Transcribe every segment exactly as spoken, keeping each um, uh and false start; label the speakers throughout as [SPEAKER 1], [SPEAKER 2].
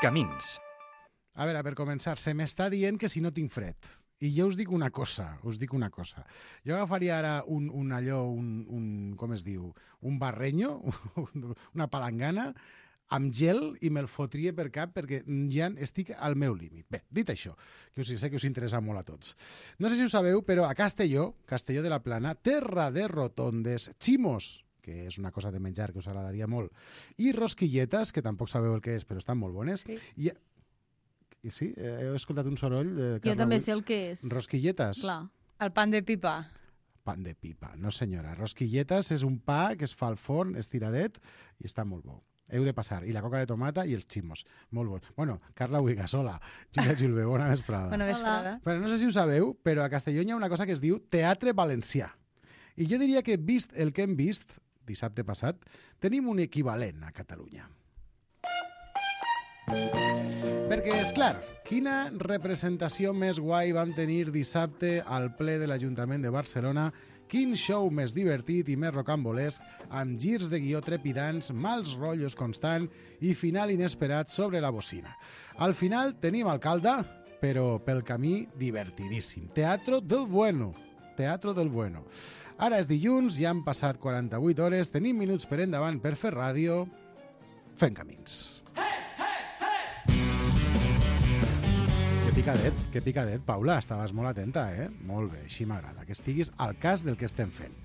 [SPEAKER 1] Camins.
[SPEAKER 2] A veure, per començar, se m'està dient que si no tinc fred. I jo us dic una cosa, us dic una cosa. Jo agafaria ara un, un allò, un, un, com es diu, un barreño, una palangana, amb gel i me'l fotria per cap perquè ja estic al meu límit. Bé, dit això, que us sé que us interessa molt a tots. No sé si ho sabeu, però a Castelló, Castelló de la Plana, terra de rotondes, ximos, que és una cosa de menjar que us agradaria molt, i rosquilletes, que tampoc sabeu el que és, però estan molt bones.
[SPEAKER 3] Sí.
[SPEAKER 2] I, sí, he escoltat un soroll. Eh,
[SPEAKER 3] Jo
[SPEAKER 2] Carla,
[SPEAKER 3] també
[SPEAKER 2] avui.
[SPEAKER 3] sé el que és.
[SPEAKER 2] Rosquilletes?
[SPEAKER 3] Clar.
[SPEAKER 4] El pan de pipa.
[SPEAKER 2] Pan de pipa, no senyora. Rosquilletes és un pa que es fa al forn, estiradet, i està molt bo. Heu de passar. I la coca de tomata i els ximos. Molt bon. Bueno, Carla Uigasola, Júlia Gilbé, bona vesprada.
[SPEAKER 4] Bona vesprada.
[SPEAKER 2] Però no sé si ho sabeu, però a Castelló hi ha una cosa que es diu Teatre Valencià. I jo diria que, vist el que hem vist dissabte passat, tenim un equivalent a Catalunya. Perquè, és clar, quina representació més guai vam tenir dissabte al ple de l'Ajuntament de Barcelona, quin show més divertit i més rocambolesc, amb girs de guió trepidants, mals rotllos constant i final inesperat sobre la bocina. Al final tenim alcalde, però pel camí divertidíssim. Teatro del bueno. Teatro del bueno. Ara és dilluns, ja han passat quaranta-vuit hores, tenim minuts per endavant per fer ràdio, fent camins. Que picadet, que picadet, Paula, estaves molt atenta, eh? Molt bé, així m'agrada, que estiguis al cas del que estem fent.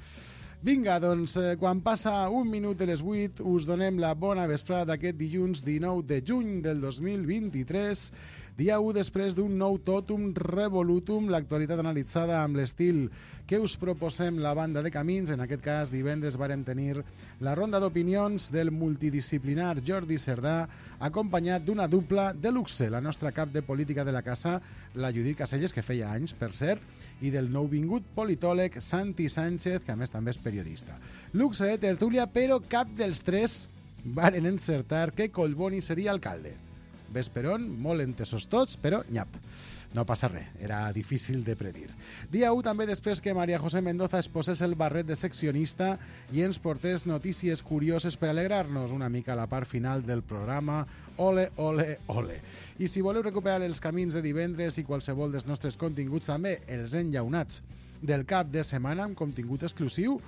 [SPEAKER 2] Vinga, doncs, eh, quan passa un minut de les vuit, us donem la bona vesprada d'aquest dilluns dinou de juny del dos mil vint-i-tres, dia u després d'un nou totum revolutum, l'actualitat analitzada amb l'estil que us proposem la banda de Camins. En aquest cas, divendres vàrem tenir la ronda d'opinions del multidisciplinar Jordi Cerdà, acompanyat d'una dupla de luxe, la nostra cap de política de la casa, la Judit Caselles, que feia anys, per cert, i del nouvingut politòleg Santi Sánchez, que a més també és periodista. Luxe de tertúlia, però cap dels tres varen encertar que Collboni seria alcalde. Vesperon, molt entesos tots, però nyap. No passa res, era difícil de predir. Dia u també després que María José Mendoza es posés el barret de seccionista i ens portés notícies curioses per alegrar-nos una mica a la part final del programa. Ole, ole, ole. I si voleu recuperar els camins de divendres i qualsevol dels nostres continguts, també els enllaunats del cap de setmana amb contingut exclusiu,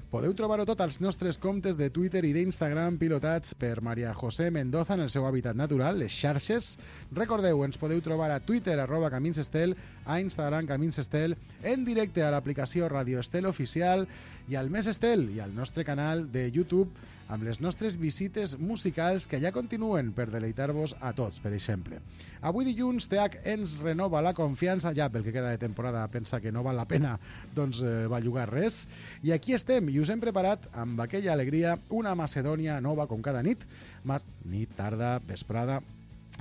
[SPEAKER 2] podeu trobar-ho tot als nostres comptes de Twitter i d'Instagram pilotats per María José Mendoza en el seu hàbitat natural, les xarxes. Recordeu, ens podeu trobar a Twitter, arroba Camins Estel, a Instagram Camins Estel, en directe a l'aplicació Radio Estel Oficial i al Més Estel i al nostre canal de YouTube amb les nostres visites musicals que ja continuen per deleitar-vos a tots, per exemple. Avui dilluns T H ens renova la confiança, ja pel que queda de temporada pensa que no val la pena doncs eh, bellugar res, i aquí estem i us hem preparat amb aquella alegria una Macedònia nova com cada nit, Ma nit, tarda, vesprada,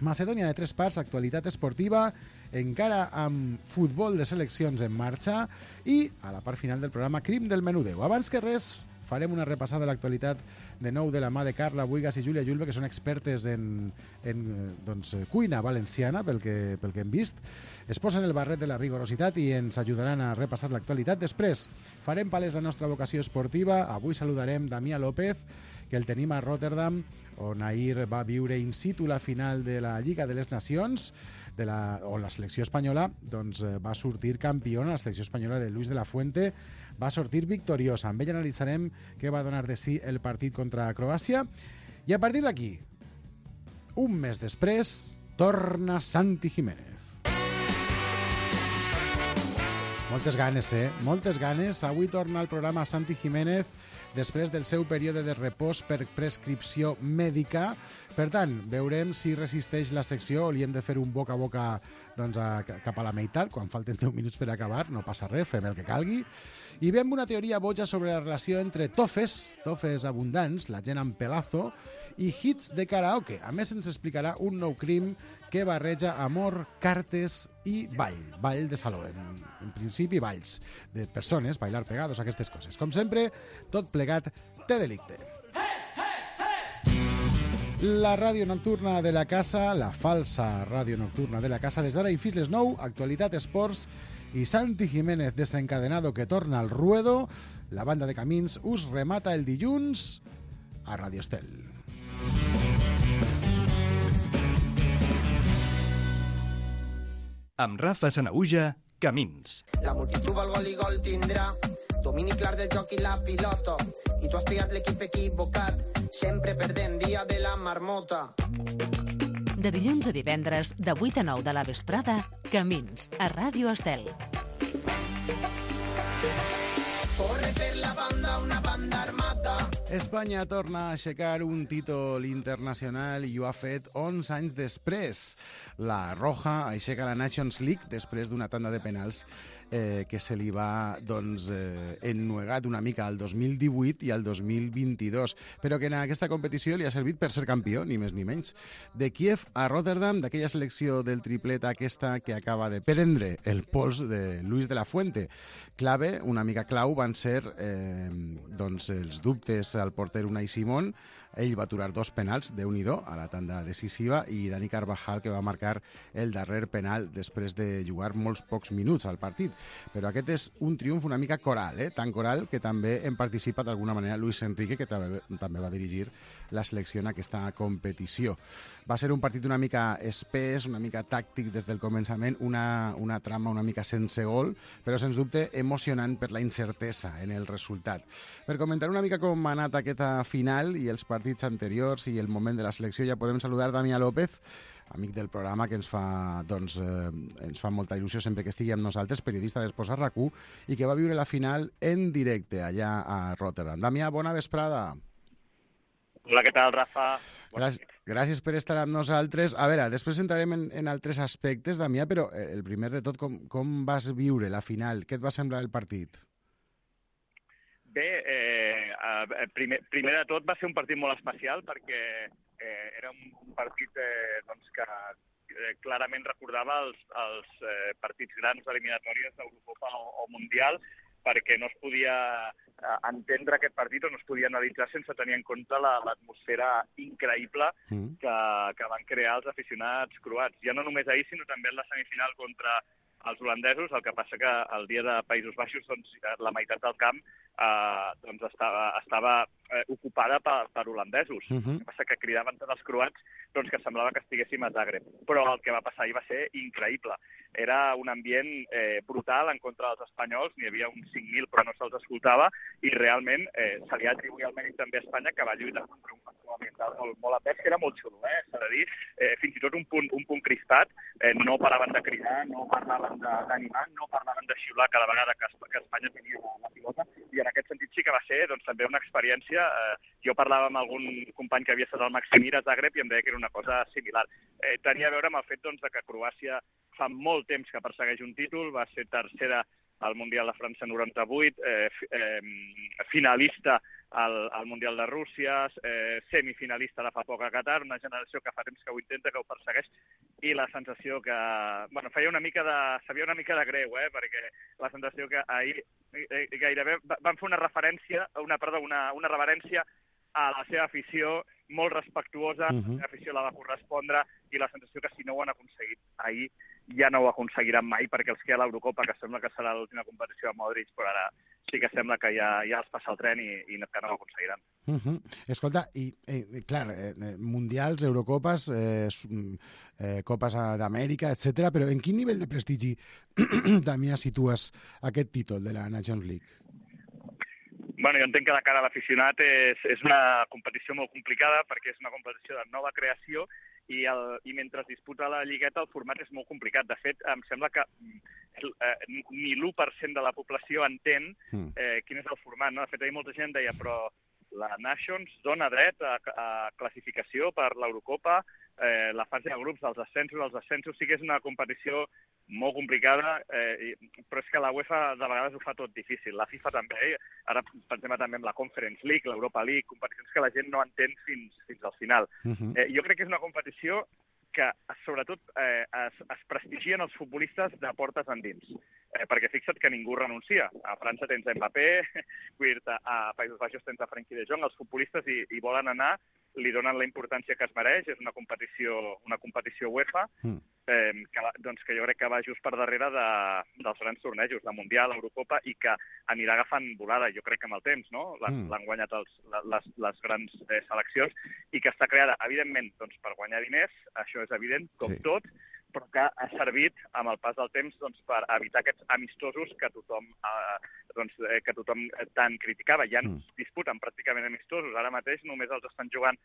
[SPEAKER 2] Macedònia de tres parts, actualitat esportiva, encara amb futbol de seleccions en marxa i a la part final del programa Crim del Menudeu. Abans que res, farem una repassada de l'actualitat de nou de la mà de Carla Buigas i Júlia Julve, que són expertes en, en doncs, cuina valenciana, pel que, pel que hem vist. Es posen el barret de la rigorositat i ens ajudaran a repassar l'actualitat. Després farem palès la nostra vocació esportiva. Avui saludarem Damià López, que el tenim a Rotterdam, on ahir va viure in situ la final de la Lliga de les Nacions, de la, on la selecció espanyola doncs, va sortir campiona, la selecció espanyola de Luis de la Fuente va sortir victoriosa. Amb ell analitzarem què va donar de si el partit contra Croàcia. I a partir d'aquí, un mes després, torna Santi Jiménez. Moltes ganes, eh? Moltes ganes. Avui torna al programa Santi Jiménez després del seu període de repòs per prescripció mèdica. Per tant, veurem si resisteix la secció o li hem de fer un boca a boca doncs, a, cap a la meitat, quan falten deu minuts per acabar, no passa res, fem el que calgui. I veiem una teoria boja sobre la relació entre tofes, tofes abundants, la gent amb pelazo, i hits de karaoke. A més, ens explicarà un nou crim que barreja amor, cartes i ball, ball de saló. En, en principi, balls de persones, bailar pegados, aquestes coses. Com sempre, tot plegat té delicte. La ràdio nocturna de la casa, la falsa ràdio nocturna de la casa, des d'ara i fins les nou, actualitat, esports i Santi Jiménez desencadenado que torna al ruedo. La banda de Camins us remata el dilluns a Radio Estel.
[SPEAKER 1] Amb Rafa Sanahuja, Camins.
[SPEAKER 3] La multitud vol gol i gol tindrà, domini clar del joc i la pilota, i tu has triat l'equip equivocat, sempre perdent dia de la marmota.
[SPEAKER 4] De dilluns a divendres, de vuit a nou de la vesprada, Camins, a Ràdio Estel.
[SPEAKER 3] Corre per la banda una banda armada.
[SPEAKER 2] Espanya torna a aixecar un títol internacional i ho ha fet onze anys després. La Roja aixeca la Nations League després d'una tanda de penals eh, que se li va doncs, eh, ennuegat una mica al dos mil divuit i al dos mil vint-i-dos, però que en aquesta competició li ha servit per ser campió, ni més ni menys. De Kiev a Rotterdam, d'aquella selecció del triplet aquesta que acaba de prendre el pols de Luis de la Fuente. Clave, una mica clau, van ser eh, doncs, els dubtes al porter Unai Simón. Ell va aturar dos penals, Déu-n'hi-do, a la tanda decisiva, i Dani Carvajal, que va marcar el darrer penal després de jugar molts pocs minuts al partit. Però aquest és un triomf una mica coral, eh? Tan coral que també en participa d'alguna manera Luis Enrique, que també, també va dirigir la selecció en aquesta competició. Va ser un partit una mica espès, una mica tàctic des del començament, una, una trama una mica sense gol, però sens dubte emocionant per la incertesa en el resultat. Per comentar una mica com ha anat aquesta final i els partits anteriors i el moment de la selecció, ja podem saludar Damià López, amic del programa, que ens fa, doncs, eh, ens fa molta il·lusió sempre que estigui amb nosaltres, periodista d'Esports a RAC u, i que va viure la final en directe allà a Rotterdam. Damià, bona vesprada.
[SPEAKER 5] Hola, què tal, Rafa?
[SPEAKER 2] Gràcies, gràcies per estar amb nosaltres. A veure, després entrarem en, en altres aspectes, Damià, però el primer de tot, com, com vas viure la final? Què et va semblar el partit?
[SPEAKER 5] Bé, eh, primer, primer de tot va ser un partit molt especial perquè eh, era un partit eh, doncs que eh, clarament recordava els, els eh, partits grans eliminatòries d'Eurocopa o, o Mundial, perquè no es podia eh, entendre aquest partit o no es podia analitzar sense tenir en compte l'atmosfera la, increïble mm. que, que van crear els aficionats croats. Ja no només ahir, sinó també en la semifinal contra els holandesos, el que passa que el dia de Països Baixos doncs, la meitat del camp eh, doncs estava, estava eh, ocupada per, per holandesos. Uh-huh. El que passa que cridaven tots els croats doncs, que semblava que estiguéssim a Zagreb. Però el que va passar ahir va ser increïble. Era un ambient eh, brutal en contra dels espanyols, n'hi havia uns cinc mil però no se'ls escoltava, i realment eh, se li ha atribuït el mèrit també a Espanya, que va lluitar contra un factor ambiental molt, molt apès, que era molt xulo, eh, s'ha de dir. Eh, fins i tot un punt, un punt crispat, eh, no paraven de cridar, no parlaven d'animar, no parlaven de xiular cada vegada que, que Espanya tenia la, la pilota, i en aquest sentit sí que va ser doncs, també una experiència. Eh, jo parlava amb algun company que havia estat al Maximir a Zagreb i em deia que era una cosa similar. Eh, tenia a veure amb el fet doncs, de que Croàcia fa molt temps que persegueix un títol, va ser tercera al Mundial de França noranta-vuit, eh, eh, finalista al, al Mundial de Rússia, eh, semifinalista de fa poc a Qatar, una generació que fa temps que ho intenta, que ho persegueix, i la sensació que... Bueno, feia una mica de... sabia una mica de greu, eh, perquè la sensació que ahir eh, gairebé van fer una referència, una, perdó, una, una reverència a la seva afició, molt respectuosa, uh-huh. La seva afició la va correspondre, i la sensació que si no ho han aconseguit ahir, ja no ho aconseguiran mai, perquè els que hi ha a l'Eurocopa, que sembla que serà l'última competició de Modric, però ara sí que sembla que ja, ja els passa el tren i, i que no ho aconseguiran.
[SPEAKER 2] Uh-huh. Escolta, i eh, clar, eh, mundials, Eurocopes, eh, eh, Copes d'Amèrica, etcètera, però en quin nivell de prestigi, Damià, situes aquest títol de la Nations League?
[SPEAKER 5] Bueno, jo entenc que de cara a l'aficionat és, és una competició molt complicada perquè és una competició de nova creació i, el, i mentre es disputa la lligueta el format és molt complicat. De fet, em sembla que eh, ni l'u per cent de la població entén eh, quin és el format. No? De fet, ahir molta gent deia, però la Nations dona dret a, a classificació per l'Eurocopa, eh, la fase de grups, els ascensos, els ascensos, sí que és una competició molt complicada, eh, però és que la UEFA de vegades ho fa tot difícil. La FIFA també, eh? Ara pensem també en la Conference League, l'Europa League, competicions que la gent no entén fins, fins al final. Uh-huh. eh, jo crec que és una competició que sobretot eh, es, es prestigien els futbolistes de portes endins. Eh, perquè fixa't que ningú renuncia. A França tens Mbappé, a Països Baixos tens a Frenkie de Jong, els futbolistes hi, hi volen anar, li donen la importància que es mereix, és una competició, una competició UEFA, mm. eh, que, doncs, que jo crec que va just per darrere de, dels grans tornejos, la Mundial, l'Eurocopa, i que anirà agafant volada, jo crec que amb el temps, no? L'han mm. guanyat els, les, les grans eh, seleccions, i que està creada, evidentment, doncs, per guanyar diners, això és evident, com sí. tot, però que ha servit amb el pas del temps doncs, per evitar aquests amistosos que tothom, eh, doncs, eh, que tothom tant criticava. Ja no es disputen pràcticament amistosos. Ara mateix només els estan jugant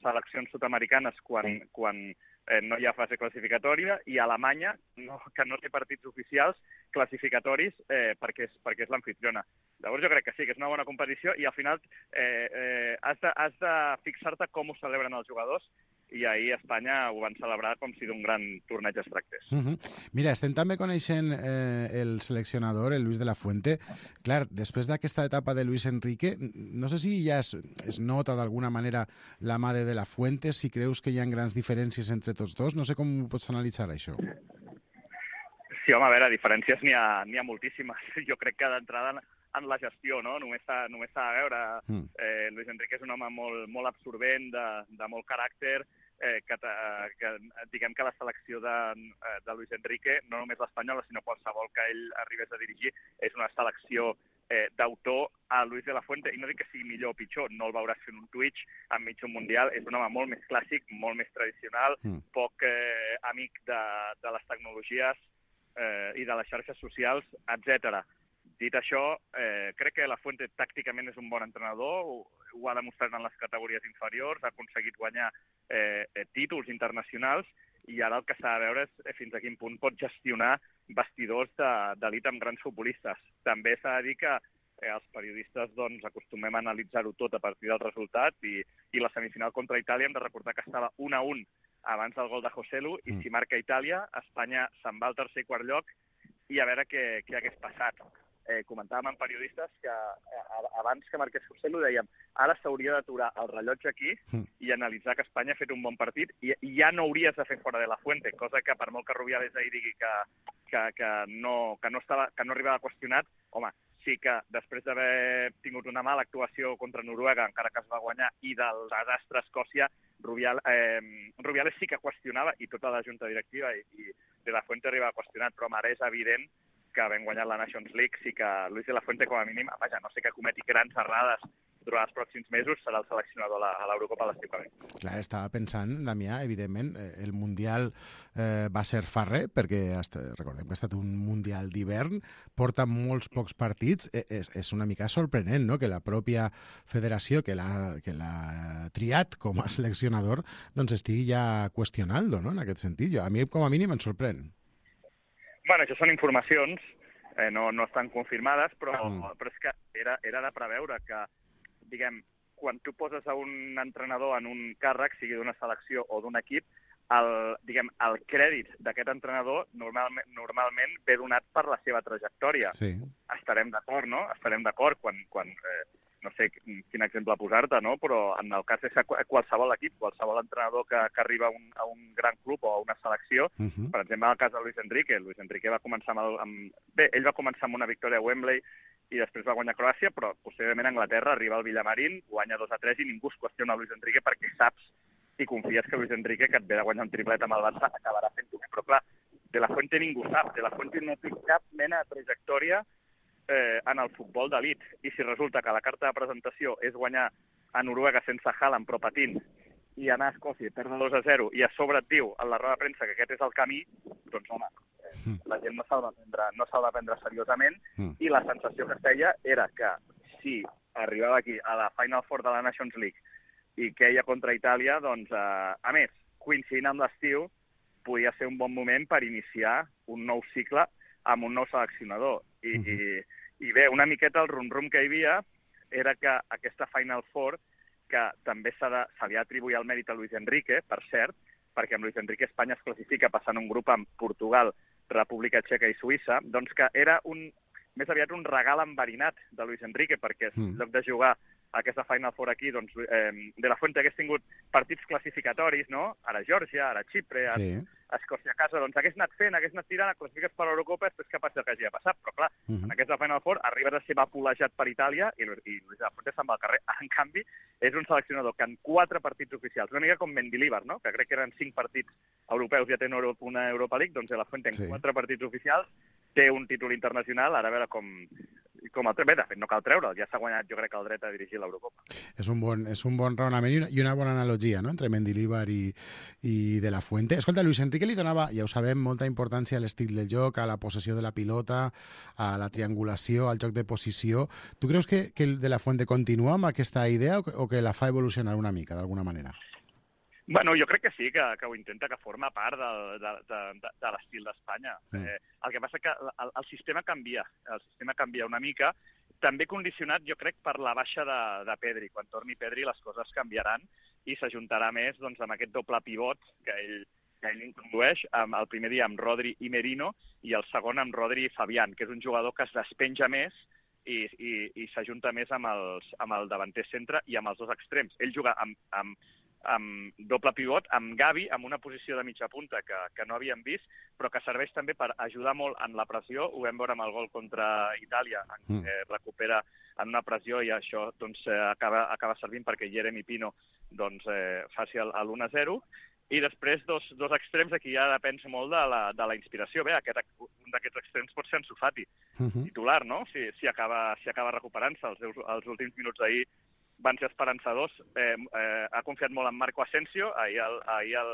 [SPEAKER 5] seleccions sud-americanes quan, quan eh, no hi ha fase classificatòria, i Alemanya, no, que no té partits oficials classificatoris eh, perquè és, perquè és l'anfitriona. Llavors jo crec que sí, que és una bona competició, i al final eh, eh, has de, has de fixar-te com ho celebren els jugadors, i ahir a Espanya ho van celebrar com si d'un gran torneig es tractés.
[SPEAKER 2] Uh -huh. Mira, estem també coneixent eh, el seleccionador, el Luis de la Fuente. Clar, després d'aquesta etapa de Luis Enrique, no sé si ja es, es nota d'alguna manera la mà de de la Fuente, si creus que hi ha grans diferències entre tots dos. No sé com ho pots analitzar, això.
[SPEAKER 5] Sí, home, a veure, diferències n'hi ha, n'hi ha moltíssimes. Jo crec que d'entrada en, en la gestió, no? Només s'ha, només s'ha de veure. Mm. Eh, Luis Enrique és un home molt, molt absorbent, de, de molt caràcter, eh, que, que diguem que la selecció de, de Luis Enrique, no només l'espanyola, sinó qualsevol que ell arribés a dirigir, és una selecció eh, d'autor a Luis de la Fuente, i no dic que sigui millor o pitjor, no el veuràs fent un Twitch enmig d'un Mundial, és un home molt més clàssic, molt més tradicional, mm. poc eh, amic de, de les tecnologies eh, i de les xarxes socials, etcètera. Dit això, eh, crec que la Fuente tàcticament és un bon entrenador, ho, ho ha demostrat en les categories inferiors, ha aconseguit guanyar eh, títols internacionals, i ara el que s'ha de veure és fins a quin punt pot gestionar vestidors d'elit amb grans futbolistes. També s'ha de dir que eh, els periodistes doncs, acostumem a analitzar-ho tot a partir del resultat, i, i la semifinal contra Itàlia hem de recordar que estava un a un abans del gol de Joselu, i si marca Itàlia, Espanya se'n va al tercer i quart lloc, i a veure què, què hagués passat. Eh, comentàvem amb periodistes que eh, abans que marqués Joselu dèiem ara s'hauria d'aturar el rellotge aquí mm. i analitzar que Espanya ha fet un bon partit, i, i ja no hauries de fer fora de la Fuente, cosa que per molt que Rubiales ahir digui que, que, que, no, que, no estava, que no arribava qüestionat, home, sí que després d'haver tingut una mala actuació contra Noruega, encara que es va guanyar, i del desastre a Escòcia, Rubial, eh, Rubiales sí que qüestionava, i tota la junta directiva, i, i de la Fuente arribava qüestionat, però ara és evident que havent guanyat la Nations League, sí que Luis de la Fuente, com a mínim, vaja, no sé que cometi grans errades durant els pròxims mesos, serà el seleccionador a l'Eurocopa de l'estiu que ve.
[SPEAKER 2] Clar, estava pensant, Damià, evidentment, el Mundial eh, va ser farrer, perquè hasta, recordem que ha estat un Mundial d'hivern, porta molts pocs partits, eh, és, és una mica sorprenent, no?, que la pròpia federació que l'ha triat com a seleccionador doncs estigui ja qüestionant-lo, no?, en aquest sentit. Jo, a mi, com a mínim, em sorprèn.
[SPEAKER 5] Bueno, això són informacions, eh, no, no estan confirmades, però, mm. però és que era, era de preveure que, diguem, quan tu poses a un entrenador en un càrrec, sigui d'una selecció o d'un equip, el, diguem, el crèdit d'aquest entrenador normalment, normalment ve donat per la seva trajectòria. Sí. Estarem d'acord, no? Estarem d'acord quan, quan eh, no sé quin exemple posar-te, no? Però en el cas de qualsevol equip, qualsevol entrenador que, que arriba a un, a un gran club o a una selecció, uh-huh. per exemple, en el cas de Luis Enrique, Luis Enrique va començar amb, el, amb... Bé, ell va començar amb una victòria a Wembley i després va guanyar Croàcia, però posteriorment a Anglaterra arriba al Villamarín, guanya dos a tres i ningú es qüestiona Luis Enrique perquè saps i confies que Luis Enrique, que et ve de guanyar un triplet amb el Barça, acabarà fent-ho. Però clar, de la Fuente ningú sap, de la Fuente no té cap mena de trajectòria Eh, en el futbol d'elit. I si resulta que la carta de presentació és guanyar a Noruega sense Haaland però patint i anar a Escòcia i perdre dos a zero i a sobre et diu en la roda de premsa que aquest és el camí, doncs home, eh, la gent no se'l va prendre, no se'l va prendre seriosament mm. i la sensació que es feia era que si arribava aquí a la Final Four de la Nations League i queia contra Itàlia, doncs, eh, a més, coincidint amb l'estiu, podia ser un bon moment per iniciar un nou cicle amb un nou seleccionador. I, mm -hmm. i, i bé, una miqueta el rum-rum que hi havia era que aquesta Final Four, que també se li ha atribuït el mèrit a Luis Enrique, per cert, perquè amb Luis Enrique Espanya es classifica passant un grup amb Portugal, República Txeca i Suïssa, doncs que era un, més aviat un regal enverinat de Luis Enrique, perquè en lloc de jugar aquesta Final Four aquí, doncs, eh, de la Fuente hagués tingut partits classificatoris, no? Ara Geòrgia, ara Xipre, ara sí. Escòcia a casa, doncs hagués anat fent, hagués anat tirant, classifiques per l'Eurocopa, després que passi el que hagi de passar. Però clar, uh -huh. en aquesta Final Four arribes a ser vapolejat per Itàlia i, i Luis de la Fuente se'n va al carrer. En canvi, és un seleccionador que en quatre partits oficials, una mica com Mendilibar, no? Que crec que eren cinc partits europeus, ja té una Europa League, doncs de la Fuente en sí. quatre partits oficials té un títol internacional, ara a veure com, com el... Bé, de fet, no cal treure'l, ja s'ha guanyat, jo crec, el dret a dirigir l'Eurocopa.
[SPEAKER 2] És un bon, és un bon raonament i una, i una bona analogia, no?, entre Mendilibar i, i De La Fuente. Escolta, Luis Enrique li donava, ja ho sabem, molta importància a l'estil del joc, a la possessió de la pilota, a la triangulació, al joc de posició. Tu creus que, que el De La Fuente continua amb aquesta idea o que, o que la fa evolucionar una mica, d'alguna manera?
[SPEAKER 5] Bueno, jo crec que sí, que, que ho intenta, que forma part de, de, de, de, de l'estil d'Espanya. Mm. Eh, el que passa que el, el sistema canvia, el sistema canvia una mica, també condicionat, jo crec, per la baixa de, de Pedri. Quan torni Pedri les coses canviaran i s'ajuntarà més doncs, amb aquest doble pivot que ell, que ell introdueix, amb, el primer dia amb Rodri i Merino i el segon amb Rodri i Fabián, que és un jugador que es despenja més i, i, i s'ajunta més amb, els, amb el davanter centre i amb els dos extrems. Ell juga amb, amb amb doble pivot, amb Gavi, amb una posició de mitja punta que, que no havíem vist, però que serveix també per ajudar molt en la pressió. Ho vam veure amb el gol contra Itàlia, en què mm. recupera en una pressió i això doncs, acaba, acaba servint perquè Jeremy Pino doncs, eh, faci l'u a zero. I després dos, dos extrems, aquí ja depèn molt de la, de la inspiració. Bé, aquest, un d'aquests extrems pot ser Ansu Fati, uh-huh. titular, no? Si, si acaba, si acaba recuperant-se. Els, els últims minuts d'ahir van ser esperançadors. Eh, eh, ha confiat molt en Marco Asensio, ahir, el, ahir el,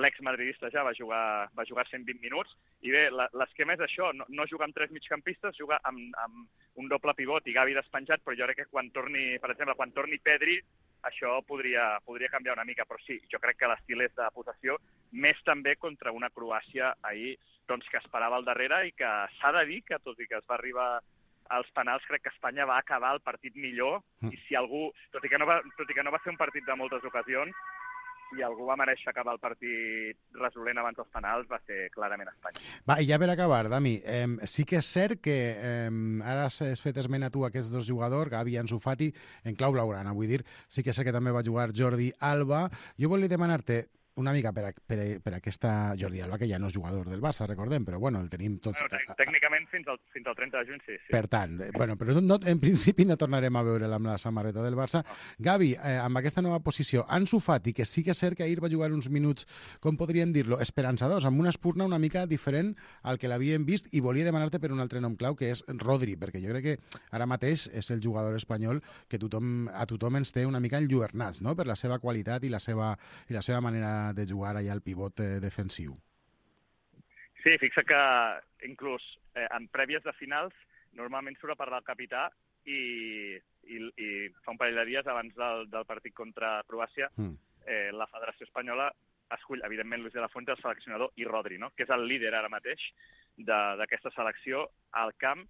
[SPEAKER 5] l'ex-madridista ja va jugar, va jugar cent vint minuts, i bé, l'esquema és això, no, no juga amb tres migcampistes, juga amb, amb un doble pivot i Gavi despenjat, però jo crec que quan torni, per exemple, quan torni Pedri, això podria, podria canviar una mica, però sí, jo crec que l'estil és de possessió, més també contra una Croàcia ahir doncs, que esperava al darrere i que s'ha de dir que, tot i que es va arribar als penals, crec que Espanya va acabar el partit millor, mm. i si algú, tot i que no va, tot i que no va ser un partit de moltes ocasions, si algú va mereixer acabar el partit resolent abans dels penals, va ser clarament Espanya.
[SPEAKER 2] Va, i ja per acabar, Dami, eh, sí que és cert que eh, ara has fet esment a tu aquests dos jugadors, Gavi i Ansu Fati, en clau blaugrana, vull dir, sí que sé que també va jugar Jordi Alba. Jo volia demanar-te, una mica per, a, per, a, per aquesta Jordi Alba, que ja no és jugador del Barça, recordem, però bueno, el tenim tots...
[SPEAKER 5] Bueno, tècnicament fins al, fins al trenta de juny, sí. sí.
[SPEAKER 2] Per tant, bueno, però no, en principi no tornarem a veure'l amb la samarreta del Barça. No. Gavi, eh, amb aquesta nova posició, Ansu Fati, que sí que és cert que ahir va jugar uns minuts, com podríem dir-lo, esperançadors, amb una espurna una mica diferent al que l'havíem vist, i volia demanar-te per un altre nom clau, que és Rodri, perquè jo crec que ara mateix és el jugador espanyol que tothom, a tothom ens té una mica enlluernats, no?, per la seva qualitat i la seva, i la seva manera de jugar allà al pivot eh, defensiu.
[SPEAKER 5] Sí, fixa que inclús eh, en prèvies de finals normalment surt a parlar el capità i, i, i fa un parell de dies abans del, del partit contra Croàcia mm. eh, la Federació Espanyola escull, evidentment, Luis de la Fuente, el seleccionador, i Rodri, no?, que és el líder ara mateix d'aquesta selecció al camp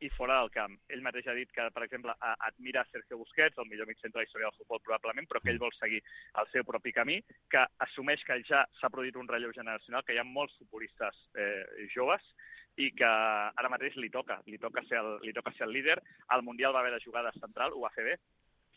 [SPEAKER 5] i fora del camp. Ell mateix ha dit que, per exemple, admira Sergio Busquets, el millor migcentre de la història del futbol probablement, però que ell vol seguir el seu propi camí, que assumeix que ja s'ha produït un relleu generacional, que hi ha molts futbolistes eh, joves i que ara mateix li toca, li toca ser el, li toca ser el líder. Al Mundial va haver de jugar de central, ho va fer bé,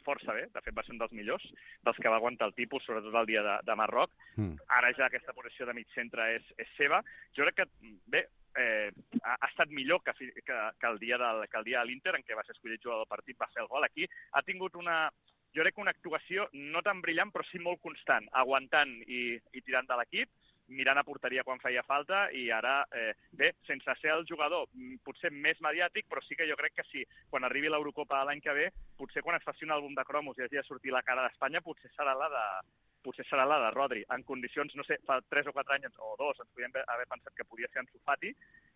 [SPEAKER 5] força bé, de fet va ser un dels millors, dels que va aguantar el tipus, sobretot el dia de, de Marroc. Mm. Ara ja aquesta posició de mig centre és, és seva. Jo crec que, bé, eh, ha, ha estat millor que, que, que el dia del, que el dia de l'Inter, en què va ser escollit jugador del partit, va fer el gol. Aquí ha tingut una, jo crec que una actuació no tan brillant, però sí molt constant, aguantant i, i tirant de l'equip, mirant a porteria quan feia falta, i ara, eh, bé, sense ser el jugador potser més mediàtic, però sí que jo crec que sí, quan arribi l'Eurocopa l'any que ve, potser quan es faci un àlbum de cromos i hagi de sortir la cara d'Espanya, potser serà la de potser serà la de Rodri. En condicions, no sé, fa tres o quatre anys o dos ens podíem haver pensat que podia ser Ansu Fati.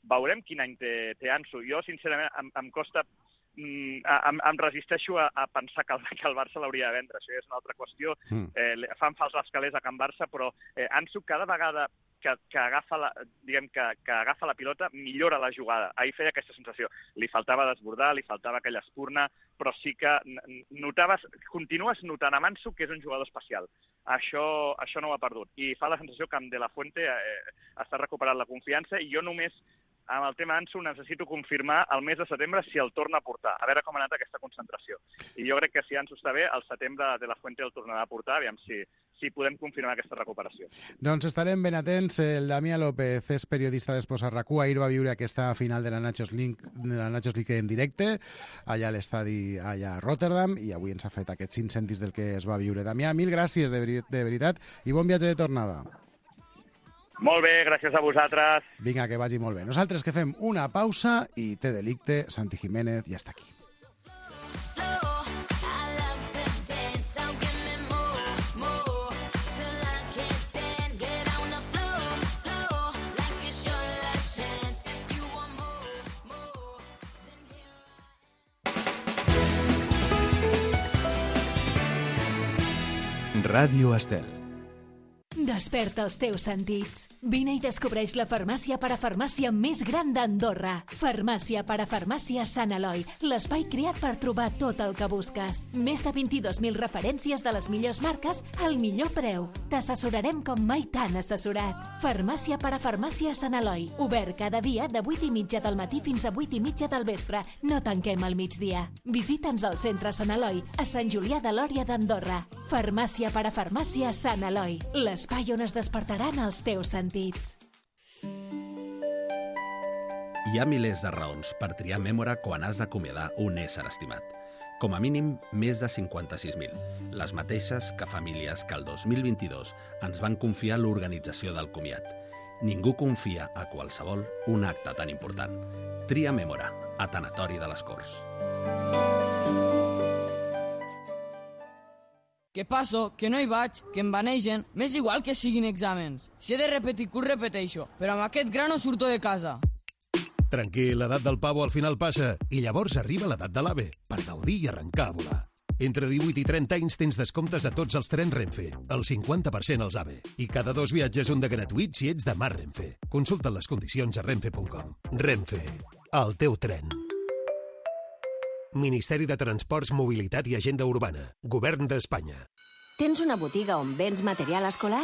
[SPEAKER 5] Veurem quin any té, té Ansu. Jo, sincerament, em, em costa... Mm, em, em resisteixo a, a pensar que el, que el Barça l'hauria de vendre. Això és una altra qüestió. Mm. Eh, fan fals les calés a Can Barça, però eh, Ansu cada vegada que, que, agafa la, diguem, que, que agafa la pilota millora la jugada. Ahir feia aquesta sensació. Li faltava desbordar, li faltava aquella espurna, però sí que notaves, continues notant amb Ansu que és un jugador especial. Això, això no ho ha perdut. I fa la sensació que amb De La Fuente eh, està recuperant la confiança, i jo només amb el tema Ansu necessito confirmar el mes de setembre si el torna a portar, a veure com ha anat aquesta concentració. I jo crec que si Ansu està bé, al setembre De La Fuente el tornarà a portar, aviam si, si podem confirmar aquesta recuperació.
[SPEAKER 2] Doncs estarem ben atents. El Damià López és periodista d'Esports a RAC u. Ahir va viure aquesta final de la Nations League, de la Nations League en directe, allà a l'estadi allà a Rotterdam, i avui ens ha fet aquests cinc cèntims del que es va viure. Damià, mil gràcies, de, veri de veritat, i bon viatge de tornada.
[SPEAKER 5] Molt bé, gràcies a vosaltres.
[SPEAKER 2] Vinga, que vagi molt bé. Nosaltres que fem una pausa i té delicte, Santi Jiménez ja està aquí.
[SPEAKER 1] Ràdio Estel.
[SPEAKER 6] Desperta els teus sentits. Vine i descobreix la farmàcia parafarmàcia més gran d'Andorra. Farmàcia parafarmàcia Sant Eloi, l'espai creat per trobar tot el que busques. Més de vint-i-dos mil referències de les millors marques al millor preu. T'assessorarem com mai t'han assessorat. Farmàcia parafarmàcia Sant Eloi, obert cada dia de vuit i mitja del matí fins a vuit i mitja del vespre. No tanquem al migdia. Visita'ns al centre Sant Eloi, a Sant Julià de Lòria d'Andorra. Farmàcia parafarmàcia Sant Eloi, l'espai on es despertaran els teus sentits.
[SPEAKER 7] Hi ha milers de raons per triar Mémora quan has d'acomiadar un ésser estimat. Com a mínim, més de cinquanta-sis mil. Les mateixes que famílies que el dos mil vint-i-dos ens van confiar l'organització del comiat. Ningú confia a qualsevol un acte tan important. Tria Mémora, a Tanatori de les Corts.
[SPEAKER 8] Que passo, que no hi vaig, que em banegen, m'és igual que siguin exàmens. Si he de repetir curs, repeteixo, però amb aquest gra no surto de casa.
[SPEAKER 9] Tranquil, l'edat del pavo al final passa, i llavors arriba l'edat de l'AVE, per gaudir i arrencar a volar. Entre divuit i trenta anys tens descomptes a tots els trens Renfe, el cinquanta per cent als AVE, i cada dos viatges un de gratuït si ets de Mar Renfe. Consulta les condicions a renfe punt com. Renfe, el teu tren. Ministeri de Transports, Mobilitat i Agenda Urbana. Govern d'Espanya.
[SPEAKER 10] Tens una botiga on vens material escolar?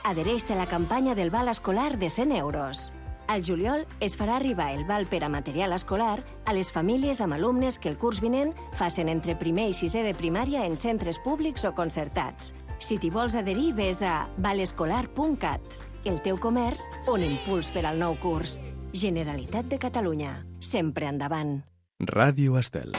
[SPEAKER 10] Adhereix-te a la campanya del val escolar de cent euros. Al juliol es farà arribar el val per a material escolar a les famílies amb alumnes que el curs vinent facin entre primer i sisè de primària en centres públics o concertats. Si t'hi vols adherir, ves a valescolar punt cat. El teu comerç, un impuls per al nou curs. Generalitat de Catalunya. Sempre endavant.
[SPEAKER 1] Ràdio Estel.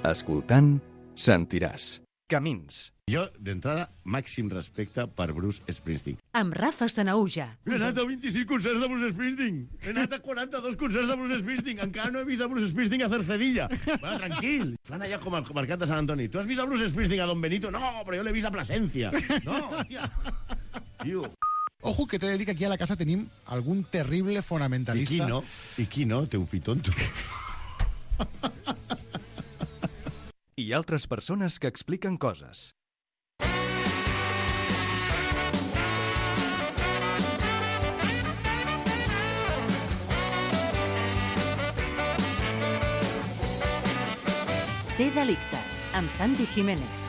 [SPEAKER 1] Escoltant, sentiràs. Camins.
[SPEAKER 11] Jo, d'entrada, màxim respecte per Bruce Springsteen.
[SPEAKER 4] Amb Rafa Sanauja.
[SPEAKER 11] He anat a vint-i-sis concerts de Bruce Springsteen. He anat a quaranta-dos concerts de Bruce Springsteen. Encara no he vist a Bruce Springsteen a Cercedilla. Bueno, tranquil. Fan allà com al mercat de Sant Antoni. Tu has vist a Bruce Springsteen a Don Benito? No, però jo l'he vist a Plasencia. No, hòstia. Tio...
[SPEAKER 2] Ojo, que t'he de dir que aquí a la casa tenim algun terrible fonamentalista.
[SPEAKER 11] I qui no? I qui no? Té un fill tonto.
[SPEAKER 1] I altres persones que expliquen coses.
[SPEAKER 4] Té delicte, amb Santi Jiménez.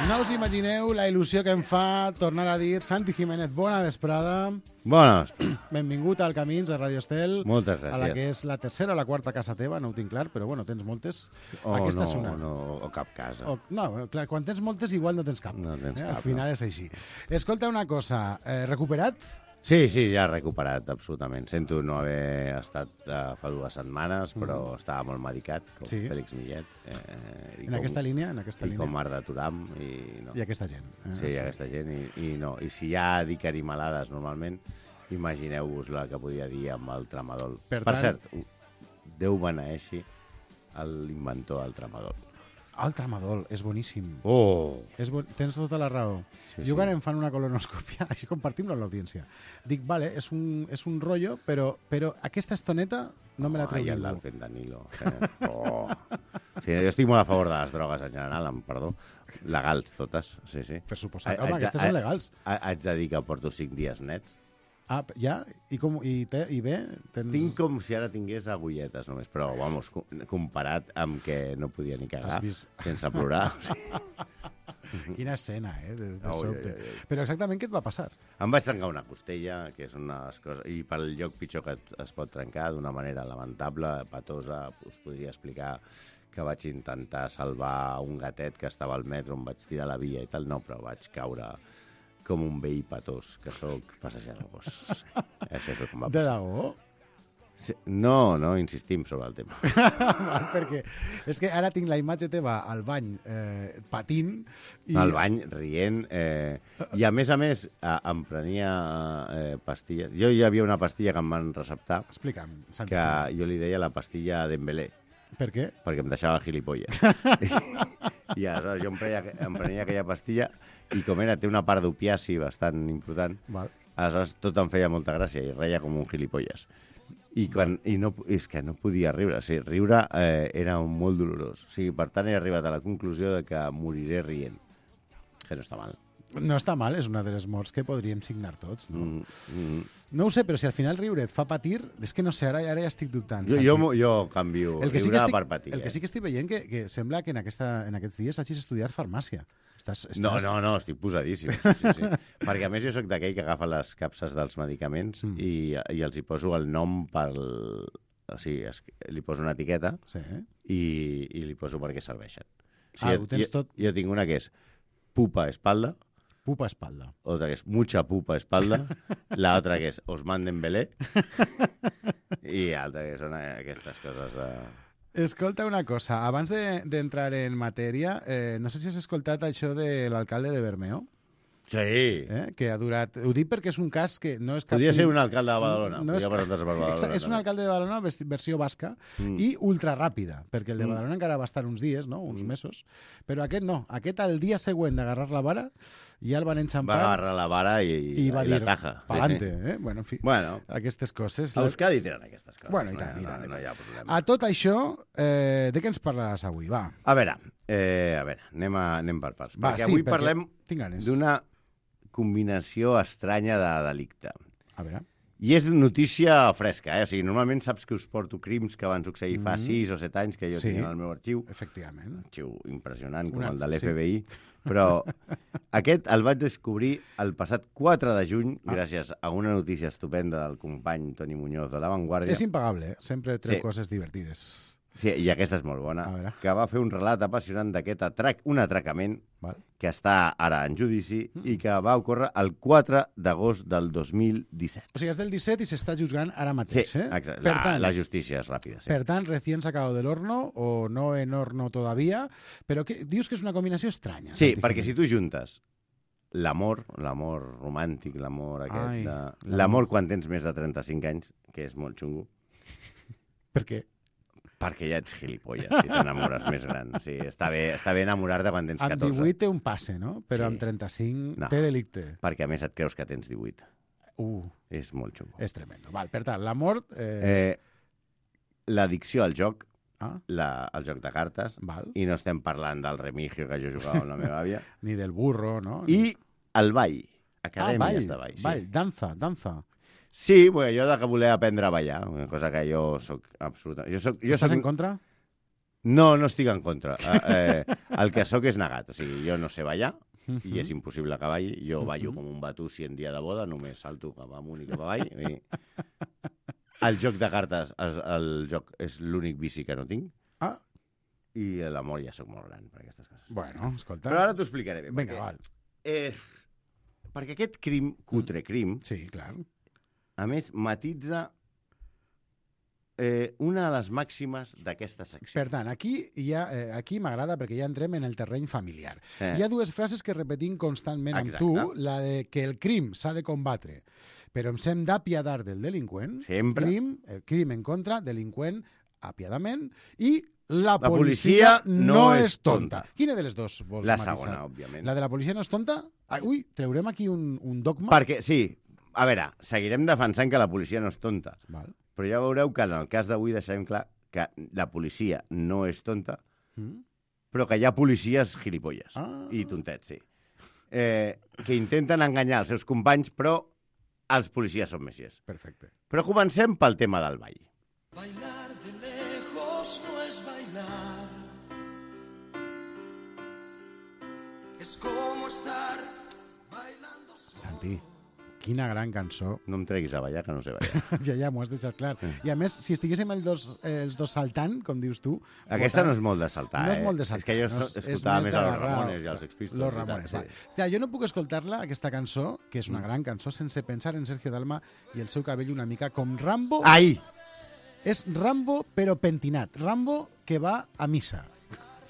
[SPEAKER 2] No us imagineu la il·lusió que em fa tornar a dir Santi Jiménez, bona vesprada.
[SPEAKER 11] Bones.
[SPEAKER 2] Benvingut al Camins, a Radio Estel.
[SPEAKER 11] Moltes gràcies.
[SPEAKER 2] A la que és la tercera o la quarta casa teva, no ho tinc clar, però bueno, tens moltes.
[SPEAKER 11] O
[SPEAKER 2] Aquesta
[SPEAKER 11] no,
[SPEAKER 2] és una.
[SPEAKER 11] no, o cap casa.
[SPEAKER 2] O, no, clar, quan tens moltes igual no tens cap.
[SPEAKER 11] No tens
[SPEAKER 2] eh?
[SPEAKER 11] cap,
[SPEAKER 2] Al final
[SPEAKER 11] no.
[SPEAKER 2] és així. Escolta una cosa, eh, recuperat?
[SPEAKER 11] Sí, sí, ja recuperat, absolutament. Sento no haver estat uh, fa dues setmanes, però mm. estava molt medicat, com
[SPEAKER 2] sí.
[SPEAKER 11] Fèlix Millet. Eh,
[SPEAKER 2] en com, aquesta línia? En aquesta
[SPEAKER 11] I
[SPEAKER 2] línia.
[SPEAKER 11] com Marta Turam. I, no.
[SPEAKER 2] I aquesta gent.
[SPEAKER 11] Eh? Sí, i aquesta gent. I, i, no. I si ja dic animalades normalment, imagineu-vos la que podia dir amb el tramadol.
[SPEAKER 2] Per,
[SPEAKER 11] per
[SPEAKER 2] tant...
[SPEAKER 11] cert, Déu beneeixi l'inventor del tramadol.
[SPEAKER 2] El tramadol, és boníssim.
[SPEAKER 11] Oh!
[SPEAKER 2] És bo... Tens tota la raó.
[SPEAKER 11] Sí,
[SPEAKER 2] jo
[SPEAKER 11] sí.
[SPEAKER 2] ara em fan una colonoscòpia, així compartim-lo amb l'audiència. Dic, vale, és un, és un rotllo, però, però aquesta estoneta no me la treu
[SPEAKER 11] ningú.
[SPEAKER 2] ningú.
[SPEAKER 11] Ai, el fentanilo. Eh? Oh. Sí, jo estic molt a favor de les drogues en general, amb perdó. Legals, totes, sí, sí.
[SPEAKER 2] Per suposat. Home, aquestes són legals.
[SPEAKER 11] Haig de dir que porto cinc dies nets.
[SPEAKER 2] Ah, ja? I, com, i, té, i bé? Tens...
[SPEAKER 11] Tinc com si ara tingués agulletes només, però, vamos, comparat amb que no podia ni cagar
[SPEAKER 2] vist...
[SPEAKER 11] sense plorar.
[SPEAKER 2] Quina escena, eh? De, de
[SPEAKER 11] oh,
[SPEAKER 2] sobte.
[SPEAKER 11] ja, ja, ja.
[SPEAKER 2] Però exactament què et va passar?
[SPEAKER 11] Em vaig trencar una costella, que és una de les coses... I pel lloc pitjor que es pot trencar, d'una manera lamentable, patosa, us podria explicar que vaig intentar salvar un gatet que estava al metro, on vaig tirar la via i tal, no, però vaig caure... com un vell patós, que sóc passejant el gos. Això és el que em va
[SPEAKER 2] De
[SPEAKER 11] passar.
[SPEAKER 2] debò?
[SPEAKER 12] Sí, no, no, insistim sobre el tema.
[SPEAKER 2] Val, perquè és que ara tinc la imatge teva al bany eh, patint. I...
[SPEAKER 12] Al bany, rient. Eh, I a més a més, eh, em prenia eh, pastilles. Jo hi havia una pastilla que em van receptar.
[SPEAKER 2] Explica'm, Santi.
[SPEAKER 12] Que jo li deia la pastilla Dembélé.
[SPEAKER 2] Per què?
[SPEAKER 12] Perquè em deixava gilipolles. I aleshores jo em prenia, em prenia aquella pastilla i com era, té una part d'opiaci bastant important,
[SPEAKER 2] Val.
[SPEAKER 12] aleshores tot em feia molta gràcia i reia com un gilipolles. I, quan, i no, és que no podia riure. O sigui, riure eh, era molt dolorós. O sigui, per tant, he arribat a la conclusió de que moriré rient. Que no està mal.
[SPEAKER 2] No està mal, és una de les morts que podríem signar tots, no?
[SPEAKER 12] Mm, mm.
[SPEAKER 2] No ho sé, però si al final riure et fa patir, és que no sé, ara, ara ja estic dubtant.
[SPEAKER 12] Jo, jo, jo canvio
[SPEAKER 2] el que sí
[SPEAKER 12] riure
[SPEAKER 2] que estic,
[SPEAKER 12] per patir.
[SPEAKER 2] El que sí que estic veient que, que sembla que en, aquesta, en aquests dies hagis estudiat farmàcia. Estàs, estàs...
[SPEAKER 12] No, no, no, estic posadíssim. Sí, sí, sí. Perquè a més jo sóc d'aquell que agafa les capses dels medicaments mm. i, i els hi poso el nom pel... O sigui, es, li poso una etiqueta
[SPEAKER 2] sí.
[SPEAKER 12] i, i li poso per què serveixen. O sigui,
[SPEAKER 2] ah,
[SPEAKER 12] jo,
[SPEAKER 2] ho tens
[SPEAKER 12] jo,
[SPEAKER 2] tot...
[SPEAKER 12] Jo tinc una que és pupa espalda.
[SPEAKER 2] Pupa espalda.
[SPEAKER 12] Otra que és mucha pupa espalda. La otra que és Osman Dembélé. I altra que són aquestes coses de...
[SPEAKER 2] Escolta una cosa, abans d'entrar de, en matèria, eh, no sé si has escoltat això de l'alcalde de Bermeo.
[SPEAKER 12] Sí.
[SPEAKER 2] Eh? Que ha durat... Ho dic perquè és un cas que no és cap...
[SPEAKER 12] Podria ser un alcalde de Badalona.
[SPEAKER 2] No és...
[SPEAKER 12] per Badalona
[SPEAKER 2] és un alcalde de Badalona, versió basca, mm. i ultraràpida, perquè el de Badalona mm. encara va estar uns dies, no? uns mm. mesos, però aquest no. Aquest, al dia següent d'agarrar la vara, ja el van enxampar...
[SPEAKER 12] Va agarrar la vara i,
[SPEAKER 2] i, va
[SPEAKER 12] i
[SPEAKER 2] dir,
[SPEAKER 12] la taja.
[SPEAKER 2] Pa'lante, eh? Bueno, en fi,
[SPEAKER 12] bueno,
[SPEAKER 2] aquestes coses...
[SPEAKER 12] A Euskadi tenen aquestes coses.
[SPEAKER 2] Bueno, i tant,
[SPEAKER 12] no,
[SPEAKER 2] i tant.
[SPEAKER 12] No, no hi ha problema.
[SPEAKER 2] A tot això, eh, de què ens parlaràs avui? Va.
[SPEAKER 12] A veure, eh, a veure anem, a, anem per parts.
[SPEAKER 2] Va,
[SPEAKER 12] perquè
[SPEAKER 2] sí,
[SPEAKER 12] avui
[SPEAKER 2] perquè
[SPEAKER 12] parlem d'una combinació estranya de delicte.
[SPEAKER 2] A veure...
[SPEAKER 12] I és notícia fresca, eh? O sigui, normalment saps que us porto crims que van succeir fa
[SPEAKER 2] Mm.
[SPEAKER 12] sis o set anys que jo
[SPEAKER 2] Sí.
[SPEAKER 12] tinc en el meu arxiu.
[SPEAKER 2] Efectivament.
[SPEAKER 12] Arxiu impressionant, com
[SPEAKER 2] Una-
[SPEAKER 12] el de l'F
[SPEAKER 2] sí.
[SPEAKER 12] B I. Però aquest el vaig descobrir el passat quatre de juny
[SPEAKER 2] Ah.
[SPEAKER 12] gràcies a una notícia estupenda del company Toni Muñoz de La Vanguardia.
[SPEAKER 2] És impagable, eh? Sempre treu
[SPEAKER 12] Sí.
[SPEAKER 2] coses divertides.
[SPEAKER 12] Sí, i aquesta és molt bona.
[SPEAKER 2] A veure.
[SPEAKER 12] Que va fer un relat apassionant d'aquest atrac, un atracament
[SPEAKER 2] Val.
[SPEAKER 12] que està ara en judici mm. i que va ocórrer el quatre d'agost del dos mil disset.
[SPEAKER 2] O sigui, és del disset i s'està juzgant ara mateix,
[SPEAKER 12] Sí,
[SPEAKER 2] eh?
[SPEAKER 12] exacte.
[SPEAKER 2] Per
[SPEAKER 12] La,
[SPEAKER 2] tant,
[SPEAKER 12] la justícia és ràpida. Sí.
[SPEAKER 2] Per tant, recién sacado del horno, o no en horno todavía, però que, dius que és una combinació estranya.
[SPEAKER 12] Sí,
[SPEAKER 2] pràcticament.
[SPEAKER 12] perquè si tu juntes l'amor, l'amor romàntic, l'amor aquest...
[SPEAKER 2] Ai,
[SPEAKER 12] de...
[SPEAKER 2] l'amor.
[SPEAKER 12] L'amor quan tens més de trenta-cinc anys, que és molt xungo.
[SPEAKER 2] Per què?
[SPEAKER 12] Perquè ja ets gilipolles, si t'enamores més gran. Sí, està bé, està bé enamorar-te quan tens
[SPEAKER 2] Amb
[SPEAKER 12] catorze.
[SPEAKER 2] divuit té un passe, no? Però
[SPEAKER 12] Sí.
[SPEAKER 2] amb trenta-cinc
[SPEAKER 12] No.
[SPEAKER 2] té delicte.
[SPEAKER 12] Perquè a més et creus que tens divuit.
[SPEAKER 2] Uh,
[SPEAKER 12] És molt xungo.
[SPEAKER 2] és tremendo. Val, per tant, l'amor... Eh...
[SPEAKER 12] Eh, L'addicció al joc,
[SPEAKER 2] Ah,
[SPEAKER 12] la, el joc de cartes,
[SPEAKER 2] val.
[SPEAKER 12] i no estem parlant del remigio que jo jugava amb la meva àvia,
[SPEAKER 2] Ni del burro, no?
[SPEAKER 12] i el ball,
[SPEAKER 2] ah,
[SPEAKER 12] acadèmies
[SPEAKER 2] ball,
[SPEAKER 12] de ball. Sí.
[SPEAKER 2] ball, danza, danza.
[SPEAKER 12] Sí, bueno, jo de que voler aprendre a ballar, una cosa que jo soc absoluta... Jo soc, jo
[SPEAKER 2] Estàs
[SPEAKER 12] soc...
[SPEAKER 2] en contra?
[SPEAKER 12] No, no estic en contra. Eh, eh, el que sóc és negat. O sigui, jo no sé ballar i és impossible que balli. Jo ballo com un batussi en dia de boda, només salto cap amunt i cap avall. I... El joc de cartes, el, el joc és l'únic vici que no tinc.
[SPEAKER 2] Ah.
[SPEAKER 12] I l'amor ja sóc molt gran per aquestes coses.
[SPEAKER 2] Bueno, escolta...
[SPEAKER 12] Però ara t'ho explicaré bé.
[SPEAKER 2] Vinga,
[SPEAKER 12] perquè,
[SPEAKER 2] val.
[SPEAKER 12] Eh, perquè aquest crim, cutre crim,
[SPEAKER 2] Sí, clar.
[SPEAKER 12] a més, matitza eh, una de les màximes d'aquesta secció.
[SPEAKER 2] Per tant, aquí, ja, eh, aquí m'agrada perquè ja entrem en el terreny familiar.
[SPEAKER 12] Eh.
[SPEAKER 2] Hi ha dues frases que repetim constantment amb
[SPEAKER 12] Exacte.
[SPEAKER 2] tu, la de que el crim s'ha de combatre, però ens hem d'apiadar del delinqüent.
[SPEAKER 12] Sempre.
[SPEAKER 2] Crim, el crim en contra, delinqüent, apiadament, i la,
[SPEAKER 12] La
[SPEAKER 2] policia,
[SPEAKER 12] policia
[SPEAKER 2] no,
[SPEAKER 12] no
[SPEAKER 2] és
[SPEAKER 12] és
[SPEAKER 2] tonta.
[SPEAKER 12] tonta.
[SPEAKER 2] Quina de les dues vols
[SPEAKER 12] La
[SPEAKER 2] matisar?
[SPEAKER 12] segona, òbviament.
[SPEAKER 2] La de la policia no és tonta? Ah, ui, treurem aquí un, un dogma.
[SPEAKER 12] Perquè, sí, a veure, seguirem defensant que la policia no és tonta,
[SPEAKER 2] Val.
[SPEAKER 12] però ja veureu que en el cas d'avui deixem clar que la policia no és tonta,
[SPEAKER 2] Mm?
[SPEAKER 12] però que hi ha policies gilipolles
[SPEAKER 2] Ah.
[SPEAKER 12] i tontets, sí. Eh, que intenten enganyar els seus companys, però els policies són messies.
[SPEAKER 2] Perfecte.
[SPEAKER 12] Però comencem pel tema del ball.
[SPEAKER 13] Bailar de lejos no es bailar. Es como estar bailando solo.
[SPEAKER 2] Santi, quina gran cançó.
[SPEAKER 12] No em treguis a ballar, que no sé ballar.
[SPEAKER 2] Ja, ja, m'ho has deixat clar. I a més, si estiguéssim els dos, eh, els dos saltant, com dius tu...
[SPEAKER 12] Aquesta
[SPEAKER 2] votant-
[SPEAKER 12] no és molt de saltar,
[SPEAKER 2] No és
[SPEAKER 12] eh?
[SPEAKER 2] molt de saltar.
[SPEAKER 12] És que jo
[SPEAKER 2] no
[SPEAKER 12] so- escoltava més a los
[SPEAKER 2] d'agarrar-
[SPEAKER 12] Ramones i als Sex Pistols
[SPEAKER 2] Los
[SPEAKER 12] i tal,
[SPEAKER 2] Ramones,
[SPEAKER 12] sí.
[SPEAKER 2] va. Ja, jo no puc escoltar-la, aquesta cançó, que és una
[SPEAKER 12] Mm.
[SPEAKER 2] gran cançó, sense pensar en Sergio Dalma i el seu cabell una mica com Rambo.
[SPEAKER 12] Ai!
[SPEAKER 2] És Rambo, però pentinat. Rambo que va a missa.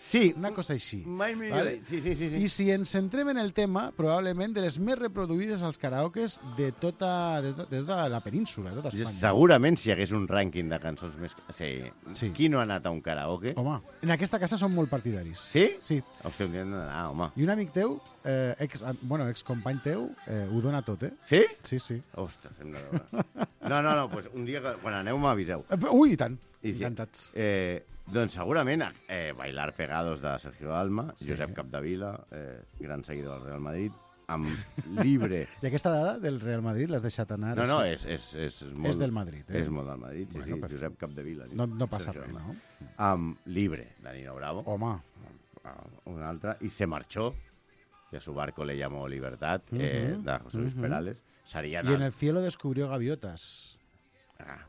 [SPEAKER 12] Sí.
[SPEAKER 2] Una cosa així.
[SPEAKER 12] Mai millor
[SPEAKER 2] Vale?
[SPEAKER 12] dit. Sí, sí, sí, sí.
[SPEAKER 2] I si ens centrem en el tema, probablement de les més reproduïdes als karaokes de tota, de tota, de tota la península, de tota Espanya.
[SPEAKER 12] Segurament si hi hagués un rànquing de cançons més... Sí.
[SPEAKER 2] Sí.
[SPEAKER 12] Qui no ha anat a un karaoke?
[SPEAKER 2] Home, en aquesta casa són molt partidaris.
[SPEAKER 12] Sí?
[SPEAKER 2] Sí.
[SPEAKER 12] Hòstia, un dia hem d'anar, home.
[SPEAKER 2] I un amic teu, eh, ex, bueno, excompany teu, eh, ho dona tot, eh?
[SPEAKER 12] Sí?
[SPEAKER 2] Sí, sí.
[SPEAKER 12] Ostres, hem de veure. No, no, no, pues un dia, que, quan aneu, m'aviseu.
[SPEAKER 2] Eh, Ui, i tant.
[SPEAKER 12] I sí.
[SPEAKER 2] Encantats.
[SPEAKER 12] Eh, doncs segurament eh, Bailar Pegados de Sergio Dalma,
[SPEAKER 2] Sí.
[SPEAKER 12] Josep Capdevila, eh, gran seguidor del Real Madrid, amb Libre.
[SPEAKER 2] I aquesta dada del Real Madrid l'has deixat anar?
[SPEAKER 12] No, no,
[SPEAKER 2] així?
[SPEAKER 12] és, és, és, molt,
[SPEAKER 2] És del Madrid, eh?
[SPEAKER 12] És molt del Madrid, sí,
[SPEAKER 2] Bueno,
[SPEAKER 12] sí,
[SPEAKER 2] perfecte.
[SPEAKER 12] Josep Capdevila.
[SPEAKER 2] No, no passa
[SPEAKER 12] Sergio
[SPEAKER 2] res,
[SPEAKER 12] Dalma.
[SPEAKER 2] no?
[SPEAKER 12] Amb Libre, de Nino Bravo.
[SPEAKER 2] Home.
[SPEAKER 12] Un altre. I Se marchó, que a su barco le llamó Libertad,
[SPEAKER 2] Uh
[SPEAKER 12] eh,
[SPEAKER 2] -huh.
[SPEAKER 12] de José Luis
[SPEAKER 2] Uh -huh.
[SPEAKER 12] Perales. Serían
[SPEAKER 2] Y en el cielo descubrió gaviotas.
[SPEAKER 12] Ah.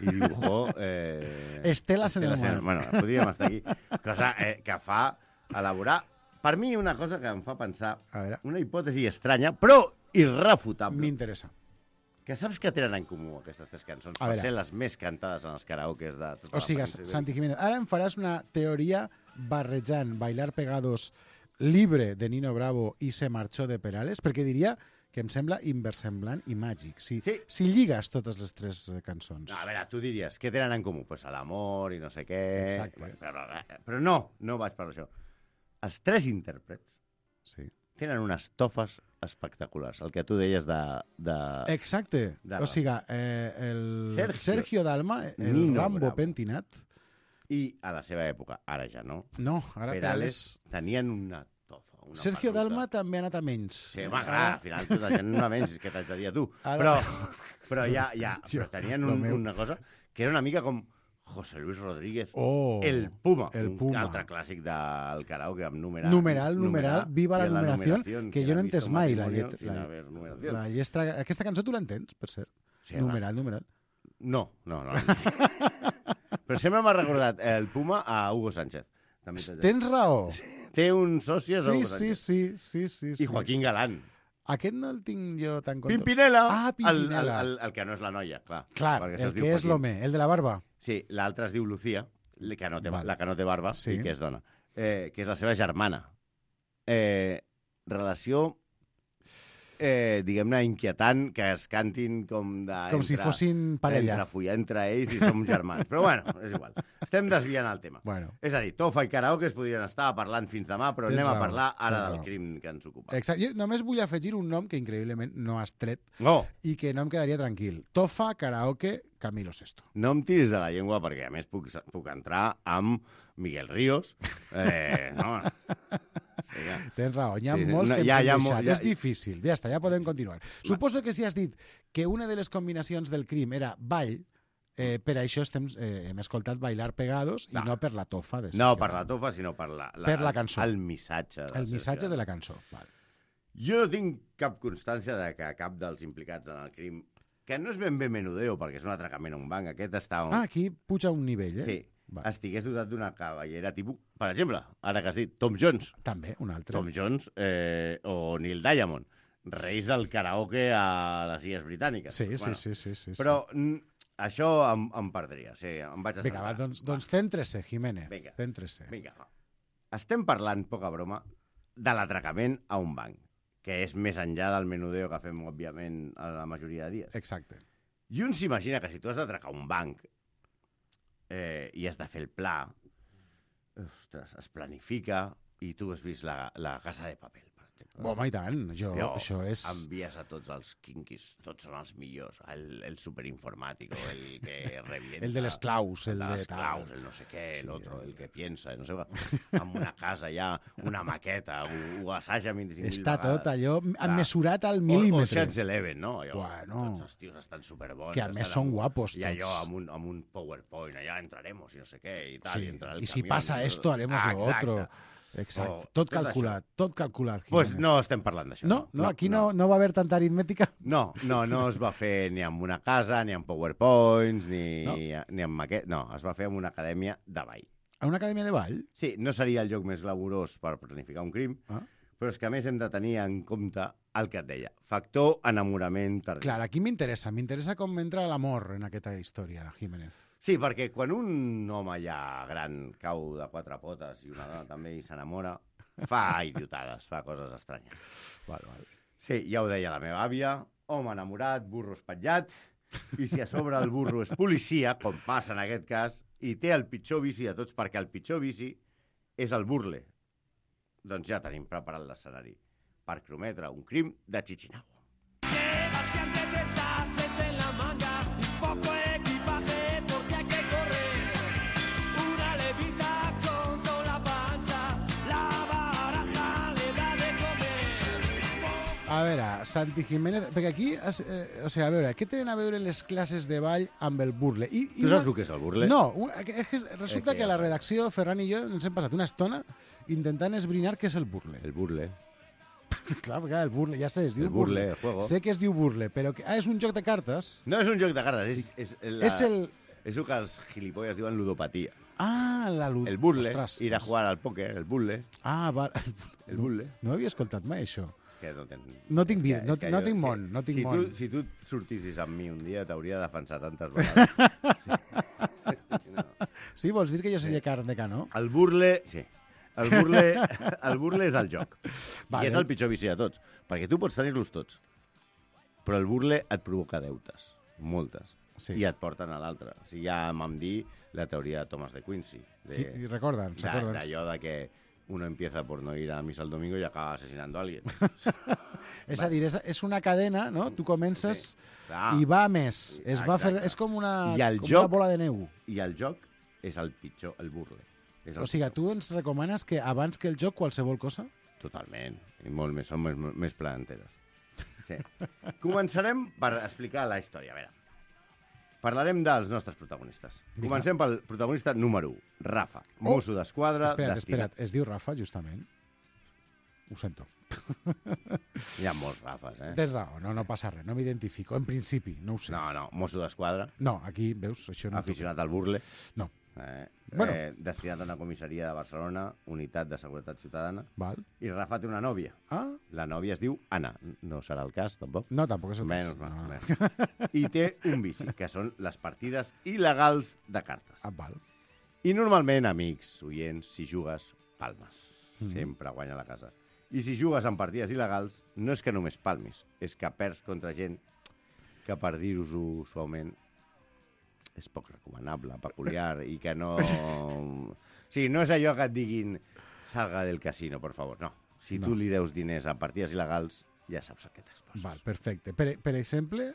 [SPEAKER 12] I dibujó... Eh...
[SPEAKER 2] Esteles en el mar.
[SPEAKER 12] Bueno, podríem estar aquí. Cosa eh, que fa elaborar, per mi, una cosa que em fa pensar,
[SPEAKER 2] a veure.
[SPEAKER 12] una hipòtesi estranya, però irrefutable.
[SPEAKER 2] M'interessa.
[SPEAKER 12] Que saps que tenen en comú aquestes tres cançons?
[SPEAKER 2] A
[SPEAKER 12] Per
[SPEAKER 2] veure.
[SPEAKER 12] ser les més cantades en els karaokes de tota
[SPEAKER 2] O sigui,
[SPEAKER 12] la península.
[SPEAKER 2] Santi Jiménez, ara em faràs una teoria barrejant Bailar Pegados, Libre de Nino Bravo i Se marchó de Perales, perquè diria que em sembla inversemblant i màgic. Si,
[SPEAKER 12] sí.
[SPEAKER 2] si lligues totes les tres eh, cançons.
[SPEAKER 12] No, a veure, tu diries, què tenen en comú? Pues l'amor i no sé què...
[SPEAKER 2] Exacte.
[SPEAKER 12] Però, però no, no vaig per això. Els tres intèrprets
[SPEAKER 2] sí.
[SPEAKER 12] tenen unes tofes espectaculars. El que tu deies de... de
[SPEAKER 2] Exacte.
[SPEAKER 12] de
[SPEAKER 2] o sigui, eh, el
[SPEAKER 12] Sergio,
[SPEAKER 2] Sergio Dalma, el
[SPEAKER 12] Nino
[SPEAKER 2] Rambo
[SPEAKER 12] Bravo.
[SPEAKER 2] pentinat.
[SPEAKER 12] I a la seva època, ara ja no.
[SPEAKER 2] No, ara
[SPEAKER 12] Perales tenien una tofa. Una
[SPEAKER 2] Sergio
[SPEAKER 12] peluca.
[SPEAKER 2] Dalma també ha anat a menys.
[SPEAKER 12] Sí, home, clar, al final tota gent no a menys, què t'haig de dir a tu.
[SPEAKER 2] Ara-
[SPEAKER 12] Però, però ja, ja
[SPEAKER 2] Jo,
[SPEAKER 12] però tenien
[SPEAKER 2] lo
[SPEAKER 12] un,
[SPEAKER 2] meu.
[SPEAKER 12] una cosa que era una mica com José Luis Rodríguez,
[SPEAKER 2] Oh,
[SPEAKER 12] el Puma,
[SPEAKER 2] el
[SPEAKER 12] un
[SPEAKER 2] Puma.
[SPEAKER 12] altre clàssic del karaoke amb numeral.
[SPEAKER 2] Numeral, numeral, viva la
[SPEAKER 12] i
[SPEAKER 2] numeración,
[SPEAKER 12] numeración,
[SPEAKER 2] que jo no he
[SPEAKER 12] ha visto
[SPEAKER 2] entès mai la
[SPEAKER 12] matrimonio
[SPEAKER 2] lletra.
[SPEAKER 12] sin
[SPEAKER 2] La,
[SPEAKER 12] haber numeración.
[SPEAKER 2] la lletra, aquesta cançó tu l'entens, per cert?
[SPEAKER 12] Sí,
[SPEAKER 2] numeral, numeral.
[SPEAKER 12] No, no, no. Però sempre m'ha recordat el Puma a Hugo Sánchez. També t'haig de dir.
[SPEAKER 2] Tens raó.
[SPEAKER 12] Té un soci a
[SPEAKER 2] Sí,
[SPEAKER 12] Hugo
[SPEAKER 2] sí,
[SPEAKER 12] Sánchez.
[SPEAKER 2] sí, sí, sí, sí.
[SPEAKER 12] I Joaquín Galán.
[SPEAKER 2] Aquest no el tinc jo tan control.
[SPEAKER 12] Pimpinela!
[SPEAKER 2] Ah, Pimpinela.
[SPEAKER 12] El, el, el, el que no és la noia, clar.
[SPEAKER 2] Clar,
[SPEAKER 12] perquè
[SPEAKER 2] el
[SPEAKER 12] se'ls diu
[SPEAKER 2] que és
[SPEAKER 12] Joaquín.
[SPEAKER 2] l'home, el de la barba.
[SPEAKER 12] Sí, l'altra es diu Lucía, la que no té,
[SPEAKER 2] Val.
[SPEAKER 12] la que no té barba
[SPEAKER 2] Sí.
[SPEAKER 12] i que és dona, eh, que és la seva germana. Eh, relació, eh, diguem-ne, inquietant, que es cantin com de...
[SPEAKER 2] Com si fossin parella.
[SPEAKER 12] Entre follar entre ells i som germans. Però bueno, és igual. Estem desviant el tema.
[SPEAKER 2] Bueno.
[SPEAKER 12] És a dir, Tofa i karaoke es podrien estar parlant fins demà, però
[SPEAKER 2] Tens
[SPEAKER 12] anem a
[SPEAKER 2] raó,
[SPEAKER 12] parlar ara
[SPEAKER 2] tens
[SPEAKER 12] del
[SPEAKER 2] raó.
[SPEAKER 12] crim que ens ocupa.
[SPEAKER 2] Exacte. Jo només vull afegir un nom que increïblement no has tret
[SPEAKER 12] No.
[SPEAKER 2] i que no em quedaria tranquil. Tofa, karaoke, Camilo Sesto.
[SPEAKER 12] No em tiris de la llengua perquè, a més, puc, puc entrar amb Miguel Ríos. Eh, no, sí, ja.
[SPEAKER 2] Tens raó, hi ha
[SPEAKER 12] Sí, sí.
[SPEAKER 2] molts
[SPEAKER 12] No,
[SPEAKER 2] que ens
[SPEAKER 12] ja-
[SPEAKER 2] hem
[SPEAKER 12] ja
[SPEAKER 2] deixat.
[SPEAKER 12] mo- ja-
[SPEAKER 2] És difícil. Ja està, ja podem continuar. Suposo que si has dit que una de les combinacions del crim era ball, eh, per això estem, eh, hem escoltat Bailar Pegados i
[SPEAKER 12] No.
[SPEAKER 2] no per la tofa. De
[SPEAKER 12] No
[SPEAKER 2] Sergio
[SPEAKER 12] per la
[SPEAKER 2] Dalma.
[SPEAKER 12] tofa, sinó per la,
[SPEAKER 2] Per la cançó.
[SPEAKER 12] El missatge. De
[SPEAKER 2] El
[SPEAKER 12] Sergio
[SPEAKER 2] missatge
[SPEAKER 12] Dalma.
[SPEAKER 2] de la cançó. Val.
[SPEAKER 12] Jo no tinc cap constància de que cap dels implicats en el crim, que no és ben bé menudeo, perquè és un atracament a un banc, aquest està... On...
[SPEAKER 2] Ah, aquí puja un nivell, eh?
[SPEAKER 12] Sí,
[SPEAKER 2] Val.
[SPEAKER 12] estigués dotat d'una cavallera tipus... Per exemple, ara que has dit, Tom Jones.
[SPEAKER 2] També, un altre.
[SPEAKER 12] Tom Jones eh, o Neil Diamond, reis del karaoke a les Illes Britàniques.
[SPEAKER 2] Sí, sí, sí, sí, sí, sí.
[SPEAKER 12] Però mm, això em, em perdria, sí, em vaig
[SPEAKER 2] Vinga, va,
[SPEAKER 12] estalviar.
[SPEAKER 2] doncs, doncs céntrese, Jiménez.
[SPEAKER 12] Vinga.
[SPEAKER 2] Céntrese.
[SPEAKER 12] Vinga, va. Estem parlant, poca broma, de l'atracament a un banc, que és més enllà del menudeo que fem, òbviament, a la majoria de dies.
[SPEAKER 2] Exacte.
[SPEAKER 12] I un s'imagina que si tu has d'atracar un banc eh, i has de fer el pla, ostres, es planifica i tu has vist la, la Casa de Papel, per exemple.
[SPEAKER 2] Home, i tant. Jo,
[SPEAKER 12] Jo,
[SPEAKER 2] això és...
[SPEAKER 12] envies a tots els quinkis, tots són els millors, el, el superinformàtico, el que revienta...
[SPEAKER 2] El de les claus, el
[SPEAKER 12] el de
[SPEAKER 2] de
[SPEAKER 12] les
[SPEAKER 2] tal.
[SPEAKER 12] claus, el no sé què,
[SPEAKER 2] Sí,
[SPEAKER 12] el otro,
[SPEAKER 2] el-
[SPEAKER 12] el que piensa, no sé què, amb una casa ja, una maqueta, ho, ho assaja vint-i-cinc mil
[SPEAKER 2] Està
[SPEAKER 12] vegades.
[SPEAKER 2] tot allò
[SPEAKER 12] Clar.
[SPEAKER 2] mesurat al
[SPEAKER 12] O, o
[SPEAKER 2] mil·límetre.
[SPEAKER 12] Sheds Eleven, no? Allò,
[SPEAKER 2] Bueno.
[SPEAKER 12] tots els tios estan superbons.
[SPEAKER 2] Que a més
[SPEAKER 12] estan
[SPEAKER 2] són
[SPEAKER 12] amb-
[SPEAKER 2] guapos
[SPEAKER 12] I allò
[SPEAKER 2] tots.
[SPEAKER 12] amb un, amb un PowerPoint, allà entraremos i no sé què, i tal,
[SPEAKER 2] Sí,
[SPEAKER 12] i entra el
[SPEAKER 2] y si
[SPEAKER 12] camión,
[SPEAKER 2] pasa
[SPEAKER 12] i-
[SPEAKER 2] esto, haremos
[SPEAKER 12] Ah,
[SPEAKER 2] lo
[SPEAKER 12] exacte.
[SPEAKER 2] otro. Exacte.
[SPEAKER 12] Oh,
[SPEAKER 2] tot
[SPEAKER 12] tot
[SPEAKER 2] calculat, tot calculat.
[SPEAKER 12] Doncs pues
[SPEAKER 2] Jiménez.
[SPEAKER 12] no estem parlant d'això.
[SPEAKER 2] No, no, aquí no, no va haver tanta aritmètica.
[SPEAKER 12] No, no, no es va fer ni amb una casa, ni amb PowerPoints, ni,
[SPEAKER 2] No.
[SPEAKER 12] ni amb maquet... No, es va fer amb una acadèmia de ball.
[SPEAKER 2] A una acadèmia de ball?
[SPEAKER 12] Sí, no seria el lloc més glamurós per planificar un crim,
[SPEAKER 2] Ah.
[SPEAKER 12] però és que a més hem de tenir en compte el que et deia. Factor enamorament tardí.
[SPEAKER 2] Clar, aquí m'interessa. M'interessa com entra l'amor en aquesta història, Jiménez.
[SPEAKER 12] Sí, perquè quan un home ja gran cau de quatre potes i una dona també i s'enamora, fa idiotades, fa coses estranyes.
[SPEAKER 2] Val, val.
[SPEAKER 12] Sí, ja ho deia la meva àvia, home enamorat, burro espatllat, i si a sobre el burro és policia, com passa en aquest cas, i té el pitjor vici de tots, perquè el pitjor vici és el burle. Doncs ja tenim preparat l'escenari per crometre un crim de Chichinabo.
[SPEAKER 2] A veure, Santi Jiménez... Perquè aquí, es, eh, o sigui, a veure, què tenen a veure les classes de ball amb el burle? I, i
[SPEAKER 12] tu saps el que és el burle?
[SPEAKER 2] No, és que resulta
[SPEAKER 12] eh,
[SPEAKER 2] que, que la redacció, Ferran i jo, ens hem passat una estona intentant esbrinar què és el burle.
[SPEAKER 12] El burle.
[SPEAKER 2] Clar, perquè el burle, ja sé, es diu
[SPEAKER 12] el burle.
[SPEAKER 2] burle.
[SPEAKER 12] El juego.
[SPEAKER 2] Sé que es diu burle, però que, ah, és un joc de cartes?
[SPEAKER 12] No és un joc de cartes, és, és, la,
[SPEAKER 2] és el...
[SPEAKER 12] És el que els gilipolles diuen ludopatia.
[SPEAKER 2] Ah, la ludopatia.
[SPEAKER 12] El burle,
[SPEAKER 2] Ostres,
[SPEAKER 12] ir a jugar al pòquer, el burle.
[SPEAKER 2] Ah, va.
[SPEAKER 12] El burle.
[SPEAKER 2] No, no havia escoltat mai, això.
[SPEAKER 12] Que no, ten...
[SPEAKER 2] no tinc vida, no,
[SPEAKER 12] que
[SPEAKER 2] no
[SPEAKER 12] jo,
[SPEAKER 2] tinc món,
[SPEAKER 12] si,
[SPEAKER 2] no tinc
[SPEAKER 12] si
[SPEAKER 2] món.
[SPEAKER 12] Tu, si tu sortissis amb mi un dia, t'hauria de defensar tantes vegades.
[SPEAKER 2] sí. No. Sí, vols dir que jo seria sí. carn de canó?
[SPEAKER 12] El burle, sí. El burle, el burle és el joc.
[SPEAKER 2] Vale.
[SPEAKER 12] I és el pitjor vici de tots. Perquè tu pots tenir-los tots. Però el burle et provoca deutes. Moltes. Sí. I et porten a l'altre. O sigui, ja vam dir la teoria de Thomas de Quincy. De,
[SPEAKER 2] I recorda'ns, recorda'ns.
[SPEAKER 12] D'allò de que uno empieza por no ir a misa el domingo y acaba asesinando a alguien.
[SPEAKER 2] és a dir, és, és una cadena, no? Tu comences sí. i va més. Es va fer, és com, una, com
[SPEAKER 12] joc,
[SPEAKER 2] una bola de neu.
[SPEAKER 12] I el joc és el pitjor, el burle. És el
[SPEAKER 2] o sigui,
[SPEAKER 12] pitjor.
[SPEAKER 2] tu ens recomanes que abans que el joc qualsevol cosa?
[SPEAKER 12] Totalment. I molt més, són més, més planeteres. Sí. Començarem per explicar la història. A veure, parlarem dels nostres protagonistes.
[SPEAKER 2] Dica.
[SPEAKER 12] Comencem pel protagonista número u, Rafa, oh. mosso d'esquadra.
[SPEAKER 2] Espera't, destinat... espera't, es diu Rafa, justament? Ho sento.
[SPEAKER 12] Hi ha molts Rafas, eh?
[SPEAKER 2] Tens raó, no, no passa res, no m'identifico, en principi, no ho sé.
[SPEAKER 12] No, no, mosso d'esquadra.
[SPEAKER 2] No, aquí, veus, això no...
[SPEAKER 12] Aficionat al burle.
[SPEAKER 2] No.
[SPEAKER 12] Eh,
[SPEAKER 2] bueno.
[SPEAKER 12] eh, destinat a una comissaria de Barcelona, unitat de seguretat ciutadana.
[SPEAKER 2] Val.
[SPEAKER 12] I Rafa té una nòvia.
[SPEAKER 2] Ah.
[SPEAKER 12] La nòvia es diu Anna. No serà el cas, tampoc?
[SPEAKER 2] No, tampoc és el
[SPEAKER 12] Menys,
[SPEAKER 2] cas.
[SPEAKER 12] No,
[SPEAKER 2] no.
[SPEAKER 12] no. I té un vici, que són les partides il·legals de cartes.
[SPEAKER 2] Ah, val.
[SPEAKER 12] I normalment, amics, oients, si jugues, palmes.
[SPEAKER 2] Mm.
[SPEAKER 12] Sempre guanya la casa. I si jugues en partides il·legals, no és que només palmis, és que perds contra gent que, per dir-ho suaument, és poc recomanable, peculiar, i que no... O sigui, no és allò que et diguin salga del casino, por favor, no. Si no. tu li deus diners a partides il·legals, ja saps a què t'exposes.
[SPEAKER 2] Val, perfecte. Per, per exemple...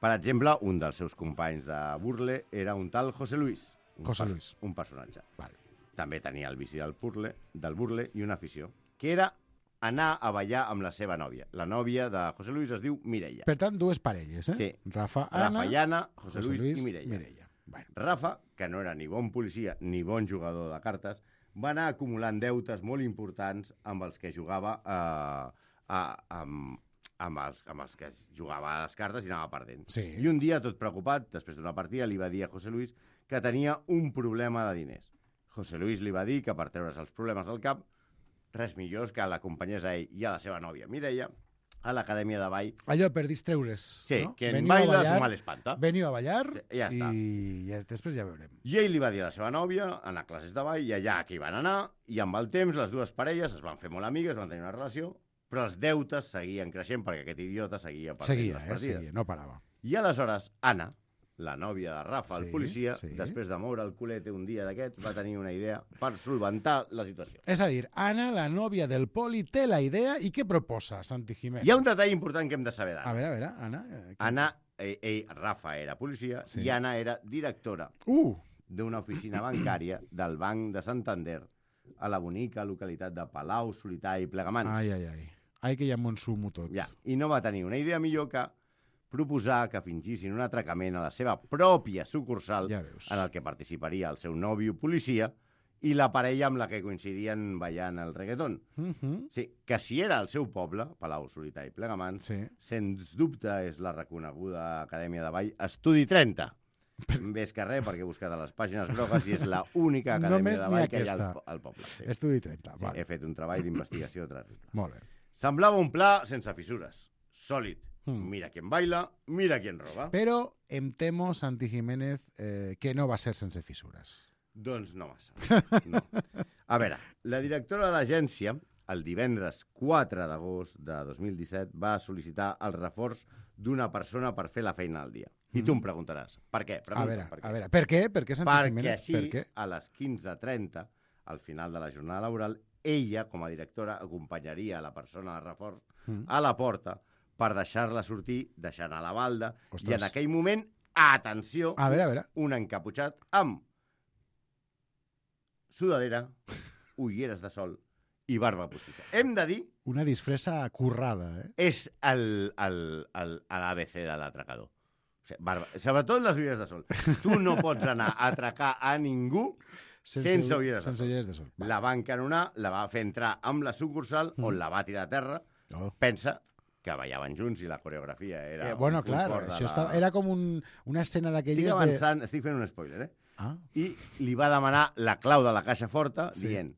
[SPEAKER 12] Per exemple, un dels seus companys de burle era un tal José Luis. Un
[SPEAKER 2] José Luis.
[SPEAKER 12] Un personatge.
[SPEAKER 2] Val.
[SPEAKER 12] També tenia el vici del burle, del burle i una afició, que era anar a ballar amb la seva nòvia. La nòvia de José Luis es diu Mireia.
[SPEAKER 2] Per tant, dues parelles, eh?
[SPEAKER 12] Sí.
[SPEAKER 2] Rafa, Anna...
[SPEAKER 12] Rafa i Anna, José, José Luis, Luis i Mireia.
[SPEAKER 2] Mireia. Bueno.
[SPEAKER 12] Rafa, que no era ni bon policia ni bon jugador de cartes, va anar acumulant deutes molt importants amb els que jugava eh, a, amb, amb, els, amb els que jugava a les cartes i anava perdent.
[SPEAKER 2] Sí.
[SPEAKER 12] I un dia, tot preocupat, després d'una partida, li va dir a José Luis que tenia un problema de diners. José Luis li va dir que per treure's els problemes del cap, res millor que l'acompanyés a ell i a la seva nòvia Mireia a l'acadèmia de ball.
[SPEAKER 2] Allò per distreure's,
[SPEAKER 12] sí,
[SPEAKER 2] no?
[SPEAKER 12] que en baila su mal espanta.
[SPEAKER 2] Veniu a ballar
[SPEAKER 12] sí, ja està.
[SPEAKER 2] i ja, després ja veurem.
[SPEAKER 12] I ell li va dir a la seva nòvia, anar a classes de ball, i allà que hi van anar, i amb el temps les dues parelles es van fer molt amigues, van tenir una relació, però els deutes seguien creixent perquè aquest idiota seguia perdent
[SPEAKER 2] seguia,
[SPEAKER 12] les partides.
[SPEAKER 2] Eh, seguia, no parava.
[SPEAKER 12] I aleshores Anna, la nòvia de Rafa,
[SPEAKER 2] sí,
[SPEAKER 12] el policia,
[SPEAKER 2] sí.
[SPEAKER 12] després de moure el culete un dia d'aquests, va tenir una idea per solventar la situació.
[SPEAKER 2] És a dir, Anna, la nòvia del poli, té la idea i què proposa, Santi Jiménez?
[SPEAKER 12] Hi ha un detall important que hem de saber d'Anna.
[SPEAKER 2] A veure, a veure, Anna... Que...
[SPEAKER 12] Anna, ell, ell, Rafa era policia sí. i Anna era directora
[SPEAKER 2] uh.
[SPEAKER 12] d'una oficina bancària del Banc de Santander a la bonica localitat de Palau, Solità i Plegamans.
[SPEAKER 2] Ai, ai, ai. Ai, que ja m'ho ensumo tot.
[SPEAKER 12] Ja. I no va tenir una idea millor que proposar que fingissin un atracament a la seva pròpia sucursal
[SPEAKER 2] ja
[SPEAKER 12] en el que participaria el seu nòvio policia i la parella amb la que coincidien ballant el reggaeton.
[SPEAKER 2] Uh -huh.
[SPEAKER 12] Sí, que si era el seu poble, Palau, Solità i Plegamans,
[SPEAKER 2] sí.
[SPEAKER 12] sens dubte és la reconeguda Acadèmia de Ball Estudi trenta. Més que res, perquè he buscat a les pàgines grogues i és l'única acadèmia
[SPEAKER 2] Només
[SPEAKER 12] de ball que hi ha al, al poble. Sí.
[SPEAKER 2] Estudi trenta,
[SPEAKER 12] sí,
[SPEAKER 2] vale.
[SPEAKER 12] He fet un treball d'investigació terrible.
[SPEAKER 2] Molt bé.
[SPEAKER 12] Semblava un pla sense fissures, sòlid,
[SPEAKER 2] Mm.
[SPEAKER 12] Mira quién baila, mira quién roba.
[SPEAKER 2] Però em temo, Santi Jiménez, eh, que no va ser sense fissures.
[SPEAKER 12] Doncs no massa. No. A veure, la directora de l'agència, el divendres quatre d'agost de dos mil disset, va sol·licitar el reforç d'una persona per fer la feina al dia. I tu em preguntaràs, per què? Pregunta,
[SPEAKER 2] a veure,
[SPEAKER 12] per què?
[SPEAKER 2] a veure, per què? Per què, Santi
[SPEAKER 12] Perquè
[SPEAKER 2] Jiménez?
[SPEAKER 12] així,
[SPEAKER 2] Per què?
[SPEAKER 12] a les quinze trenta, al final de la jornada laboral, ella, com a directora, acompanyaria la persona de reforç
[SPEAKER 2] Mm.
[SPEAKER 12] a la porta per deixar-la sortir, deixant a la balda,
[SPEAKER 2] Ostres.
[SPEAKER 12] i en aquell moment, atenció,
[SPEAKER 2] A veure, a veure.
[SPEAKER 12] un encaputxat amb sudadera, ulleres de sol i barba postissa. Hem de dir,
[SPEAKER 2] Una disfressa currada, eh?
[SPEAKER 12] és el, el, el, l'A B C de l'atracador. O sigui, barba, sobretot les ulleres de sol. Tu no pots anar a atracar a ningú sense, sense ulleres de
[SPEAKER 2] sense
[SPEAKER 12] sol.
[SPEAKER 2] ulleres de sol. Va.
[SPEAKER 12] La va encanonar, la va fer entrar amb la sucursal, mm. on la va tirar a terra.
[SPEAKER 2] Oh.
[SPEAKER 12] Pensa que ballaven junts i la coreografia era...
[SPEAKER 2] Eh, bueno,
[SPEAKER 12] un
[SPEAKER 2] clar,
[SPEAKER 12] cor de
[SPEAKER 2] això
[SPEAKER 12] la...
[SPEAKER 2] estava, era com un, una escena
[SPEAKER 12] Estic
[SPEAKER 2] d'aquelles de...
[SPEAKER 12] avançant, estic fent un spoiler, eh?
[SPEAKER 2] Ah.
[SPEAKER 12] I li va demanar la clau de la caixa forta,
[SPEAKER 2] Sí.
[SPEAKER 12] dient,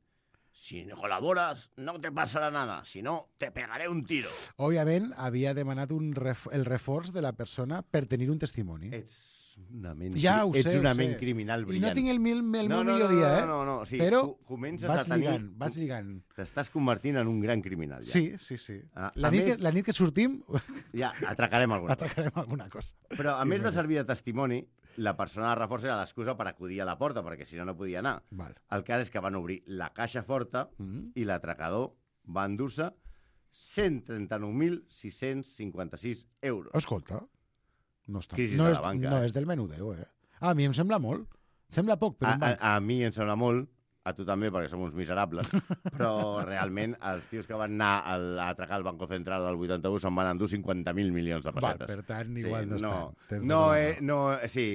[SPEAKER 12] si no col·labores, no te passarà nada, si no, te pegaré un tiro.
[SPEAKER 2] Òbviament, havia demanat un ref, el reforç de la persona per tenir un testimoni.
[SPEAKER 12] Ets una ment,
[SPEAKER 2] Ja ho
[SPEAKER 12] ets
[SPEAKER 2] sé,
[SPEAKER 12] una
[SPEAKER 2] ho
[SPEAKER 12] ment
[SPEAKER 2] sé.
[SPEAKER 12] criminal
[SPEAKER 2] I
[SPEAKER 12] brillant.
[SPEAKER 2] no tinc el, mil, el
[SPEAKER 12] no,
[SPEAKER 2] meu
[SPEAKER 12] no,
[SPEAKER 2] millor
[SPEAKER 12] no,
[SPEAKER 2] dia,
[SPEAKER 12] no,
[SPEAKER 2] eh?
[SPEAKER 12] no, no, sí,
[SPEAKER 2] Però
[SPEAKER 12] tu comences
[SPEAKER 2] vas
[SPEAKER 12] a tenir...
[SPEAKER 2] lligant, vas lligant.
[SPEAKER 12] T'estàs convertint en un gran criminal, ja.
[SPEAKER 2] Sí, sí, sí.
[SPEAKER 12] A,
[SPEAKER 2] La
[SPEAKER 12] a
[SPEAKER 2] nit,
[SPEAKER 12] més,
[SPEAKER 2] que, la nit que sortim,
[SPEAKER 12] ja atracarem alguna cosa.
[SPEAKER 2] atacarem alguna cosa.
[SPEAKER 12] Però a més de servir de testimoni, la persona de reforç era l'excusa per acudir a la porta, perquè si no, no podia anar.
[SPEAKER 2] Val.
[SPEAKER 12] El cas és que van obrir la caixa forta
[SPEAKER 2] Mm.
[SPEAKER 12] i l'atracador va endur-se cent trenta-nou mil sis-cents cinquanta-sis euros.
[SPEAKER 2] Escolta, no, està,
[SPEAKER 12] Crisi
[SPEAKER 2] no,
[SPEAKER 12] de
[SPEAKER 2] és,
[SPEAKER 12] la banca,
[SPEAKER 2] no
[SPEAKER 12] eh?
[SPEAKER 2] és del menudeu, eh? Ah, a mi em sembla molt. Sembla poc, però
[SPEAKER 12] A,
[SPEAKER 2] un
[SPEAKER 12] a,
[SPEAKER 2] banc.
[SPEAKER 12] a mi em sembla molt, a tu també, perquè som uns miserables, però realment els tios que van anar a atracar el Banco Central al vuitanta-u se'n van endur cinquanta mil milions de
[SPEAKER 2] Val,
[SPEAKER 12] pessetes.
[SPEAKER 2] per tant, igual no
[SPEAKER 12] no,
[SPEAKER 2] estem. Tens
[SPEAKER 12] no,
[SPEAKER 2] tota la
[SPEAKER 12] eh,
[SPEAKER 2] raó.
[SPEAKER 12] no, sí,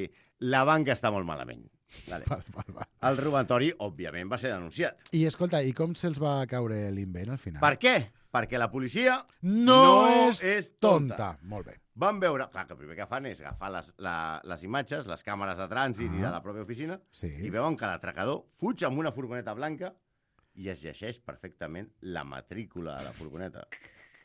[SPEAKER 12] la banca està molt malament. Vale.
[SPEAKER 2] Val, val, val.
[SPEAKER 12] El robatori, òbviament, va ser denunciat.
[SPEAKER 2] I escolta, i com se'ls va caure l'invent al final?
[SPEAKER 12] Per què? Perquè la policia
[SPEAKER 2] No,
[SPEAKER 12] no
[SPEAKER 2] és,
[SPEAKER 12] és
[SPEAKER 2] tonta.
[SPEAKER 12] tonta.
[SPEAKER 2] Molt bé.
[SPEAKER 12] van veure... Clar, que el primer que fan és agafar les, la, les imatges, les càmeres de trànsit
[SPEAKER 2] Ah.
[SPEAKER 12] i de la pròpia oficina,
[SPEAKER 2] Sí.
[SPEAKER 12] i veuen que l'atracador fuig amb una furgoneta blanca i es llegeix perfectament la matrícula de la furgoneta.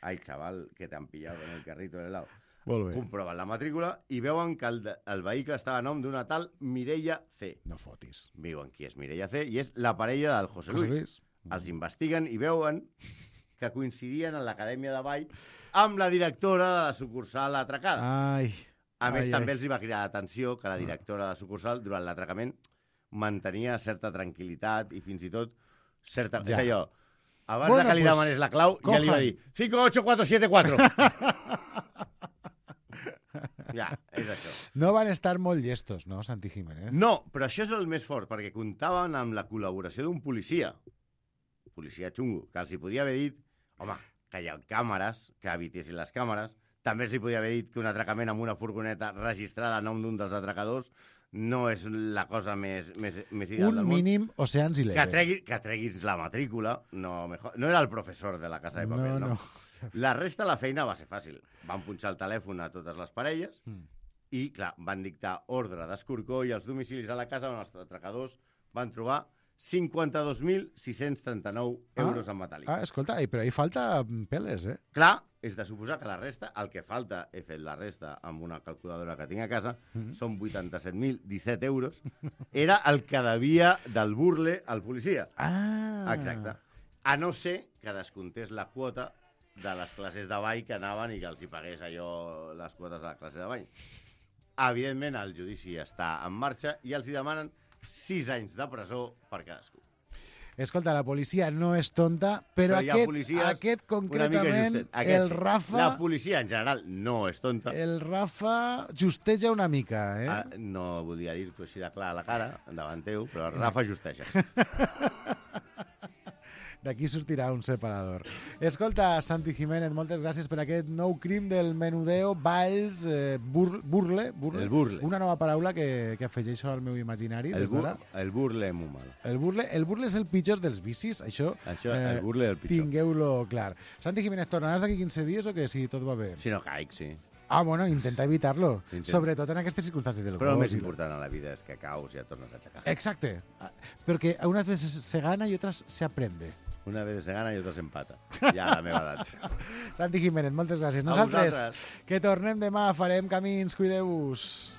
[SPEAKER 12] Ai, xaval, que t'han pillado en el carrito de lado.
[SPEAKER 2] Molt bé.
[SPEAKER 12] Comproven la matrícula i veuen que el, de- el vehicle estava a nom d'una tal Mireia C.
[SPEAKER 2] No fotis.
[SPEAKER 12] Viuen qui és Mireia C i és la parella del José
[SPEAKER 2] José
[SPEAKER 12] Luis.
[SPEAKER 2] Luis.
[SPEAKER 12] Els investiguen i veuen que coincidien en l'acadèmia de ball amb la directora de la sucursal atracada.
[SPEAKER 2] Ai.
[SPEAKER 12] A més,
[SPEAKER 2] ai,
[SPEAKER 12] també
[SPEAKER 2] ai.
[SPEAKER 12] els hi va cridar l'atenció que la directora de la sucursal, durant l'atracament, mantenia certa tranquil·litat i fins i tot certa...
[SPEAKER 2] Ja.
[SPEAKER 12] És allò, abans
[SPEAKER 2] Bueno,
[SPEAKER 12] de que li
[SPEAKER 2] pues,
[SPEAKER 12] demanés la clau, ja li va
[SPEAKER 2] cojan.
[SPEAKER 12] dir cinco ocho cuatro siete cuatro. Ja, és això.
[SPEAKER 2] No van estar molt llestos, no, Santi Jiménez?
[SPEAKER 12] No, però això és el més fort, perquè comptaven amb la col·laboració d'un policia, policia xungo, que els hi podia haver dit, home, que hi ha càmeres, que evitessin les càmeres, també els hi podia haver dit que un atracament amb una furgoneta registrada a nom d'un dels atracadors no és la cosa més, més, més ideal
[SPEAKER 2] Un
[SPEAKER 12] del món.
[SPEAKER 2] mínim Oceans i
[SPEAKER 12] Que, tregui, que treguis la matrícula, no, mejor, no era el professor de la Casa de Papel,
[SPEAKER 2] No,
[SPEAKER 12] no.
[SPEAKER 2] no.
[SPEAKER 12] La resta de la feina va ser fàcil. Van punxar el telèfon a totes les parelles
[SPEAKER 2] Mm.
[SPEAKER 12] i, clar, van dictar ordre d'escorcó i els domicilis a la casa on els atracadors van trobar cinquanta-dos mil sis-cents trenta-nou euros en metàl·lic.
[SPEAKER 2] Ah, escolta, ai, però ahí falta peles, eh?
[SPEAKER 12] Clar, és de suposar que la resta, el que falta, he fet la resta amb una calculadora que tinc a casa,
[SPEAKER 2] Mhm.
[SPEAKER 12] són vuitanta-set mil disset euros. Era el que devia del burle al policia.
[SPEAKER 2] Ah.
[SPEAKER 12] Exacte. A no ser que descomptés la quota de les classes de ball que anaven i que els hi pagués allò, les quotes de la classe de ball. Evidentment, el judici està en marxa i els hi demanen sis anys de presó per cadascú.
[SPEAKER 2] Escolta, la policia no és tonta, però,
[SPEAKER 12] Però hi ha
[SPEAKER 2] aquest,
[SPEAKER 12] policies
[SPEAKER 2] aquest
[SPEAKER 12] una mica
[SPEAKER 2] concretament,
[SPEAKER 12] justet. Aquest
[SPEAKER 2] el
[SPEAKER 12] sí.
[SPEAKER 2] Rafa...
[SPEAKER 12] La policia, en general, no és tonta.
[SPEAKER 2] El Rafa justeja una mica, eh?
[SPEAKER 12] Ah, no volia dir-t'ho així de clar a la cara, davant teu, però el Rafa justeja.
[SPEAKER 2] D'aquí sortirà un separador. Escolta, Santi Jiménez, moltes gràcies per aquest nou crim del menudeo, balls, eh, bur burle, burle.
[SPEAKER 12] El burle.
[SPEAKER 2] Una nova paraula que, que afegeixo al meu imaginari.
[SPEAKER 12] El,
[SPEAKER 2] des
[SPEAKER 12] bur
[SPEAKER 2] d'ara.
[SPEAKER 12] el burle és molt mal.
[SPEAKER 2] El burle, el burle és el pitjor dels vicis, això,
[SPEAKER 12] Això, el burle és el pitjor.
[SPEAKER 2] tingueu-lo clar. Santi Jiménez, tornaràs d'aquí quinze dies o què? Si tot va bé.
[SPEAKER 12] Si no caic, sí.
[SPEAKER 2] Ah, bueno, intenta evitar-lo.
[SPEAKER 12] Intenta.
[SPEAKER 2] Sobretot en aquestes circumstàncies del
[SPEAKER 12] Però el
[SPEAKER 2] gos
[SPEAKER 12] més
[SPEAKER 2] i la-
[SPEAKER 12] important a la vida és que caus i et tornes a aixecar.
[SPEAKER 2] Exacte. Ah, Porque unas veces se gana y otras se aprende.
[SPEAKER 12] Una vegada se gana i altra s'empata. Ja a la meva edat.
[SPEAKER 2] Santi Jiménez, moltes gràcies.
[SPEAKER 12] A
[SPEAKER 2] Nosaltres,
[SPEAKER 12] vosaltres.
[SPEAKER 2] que tornem demà, farem camins, cuideu-vos.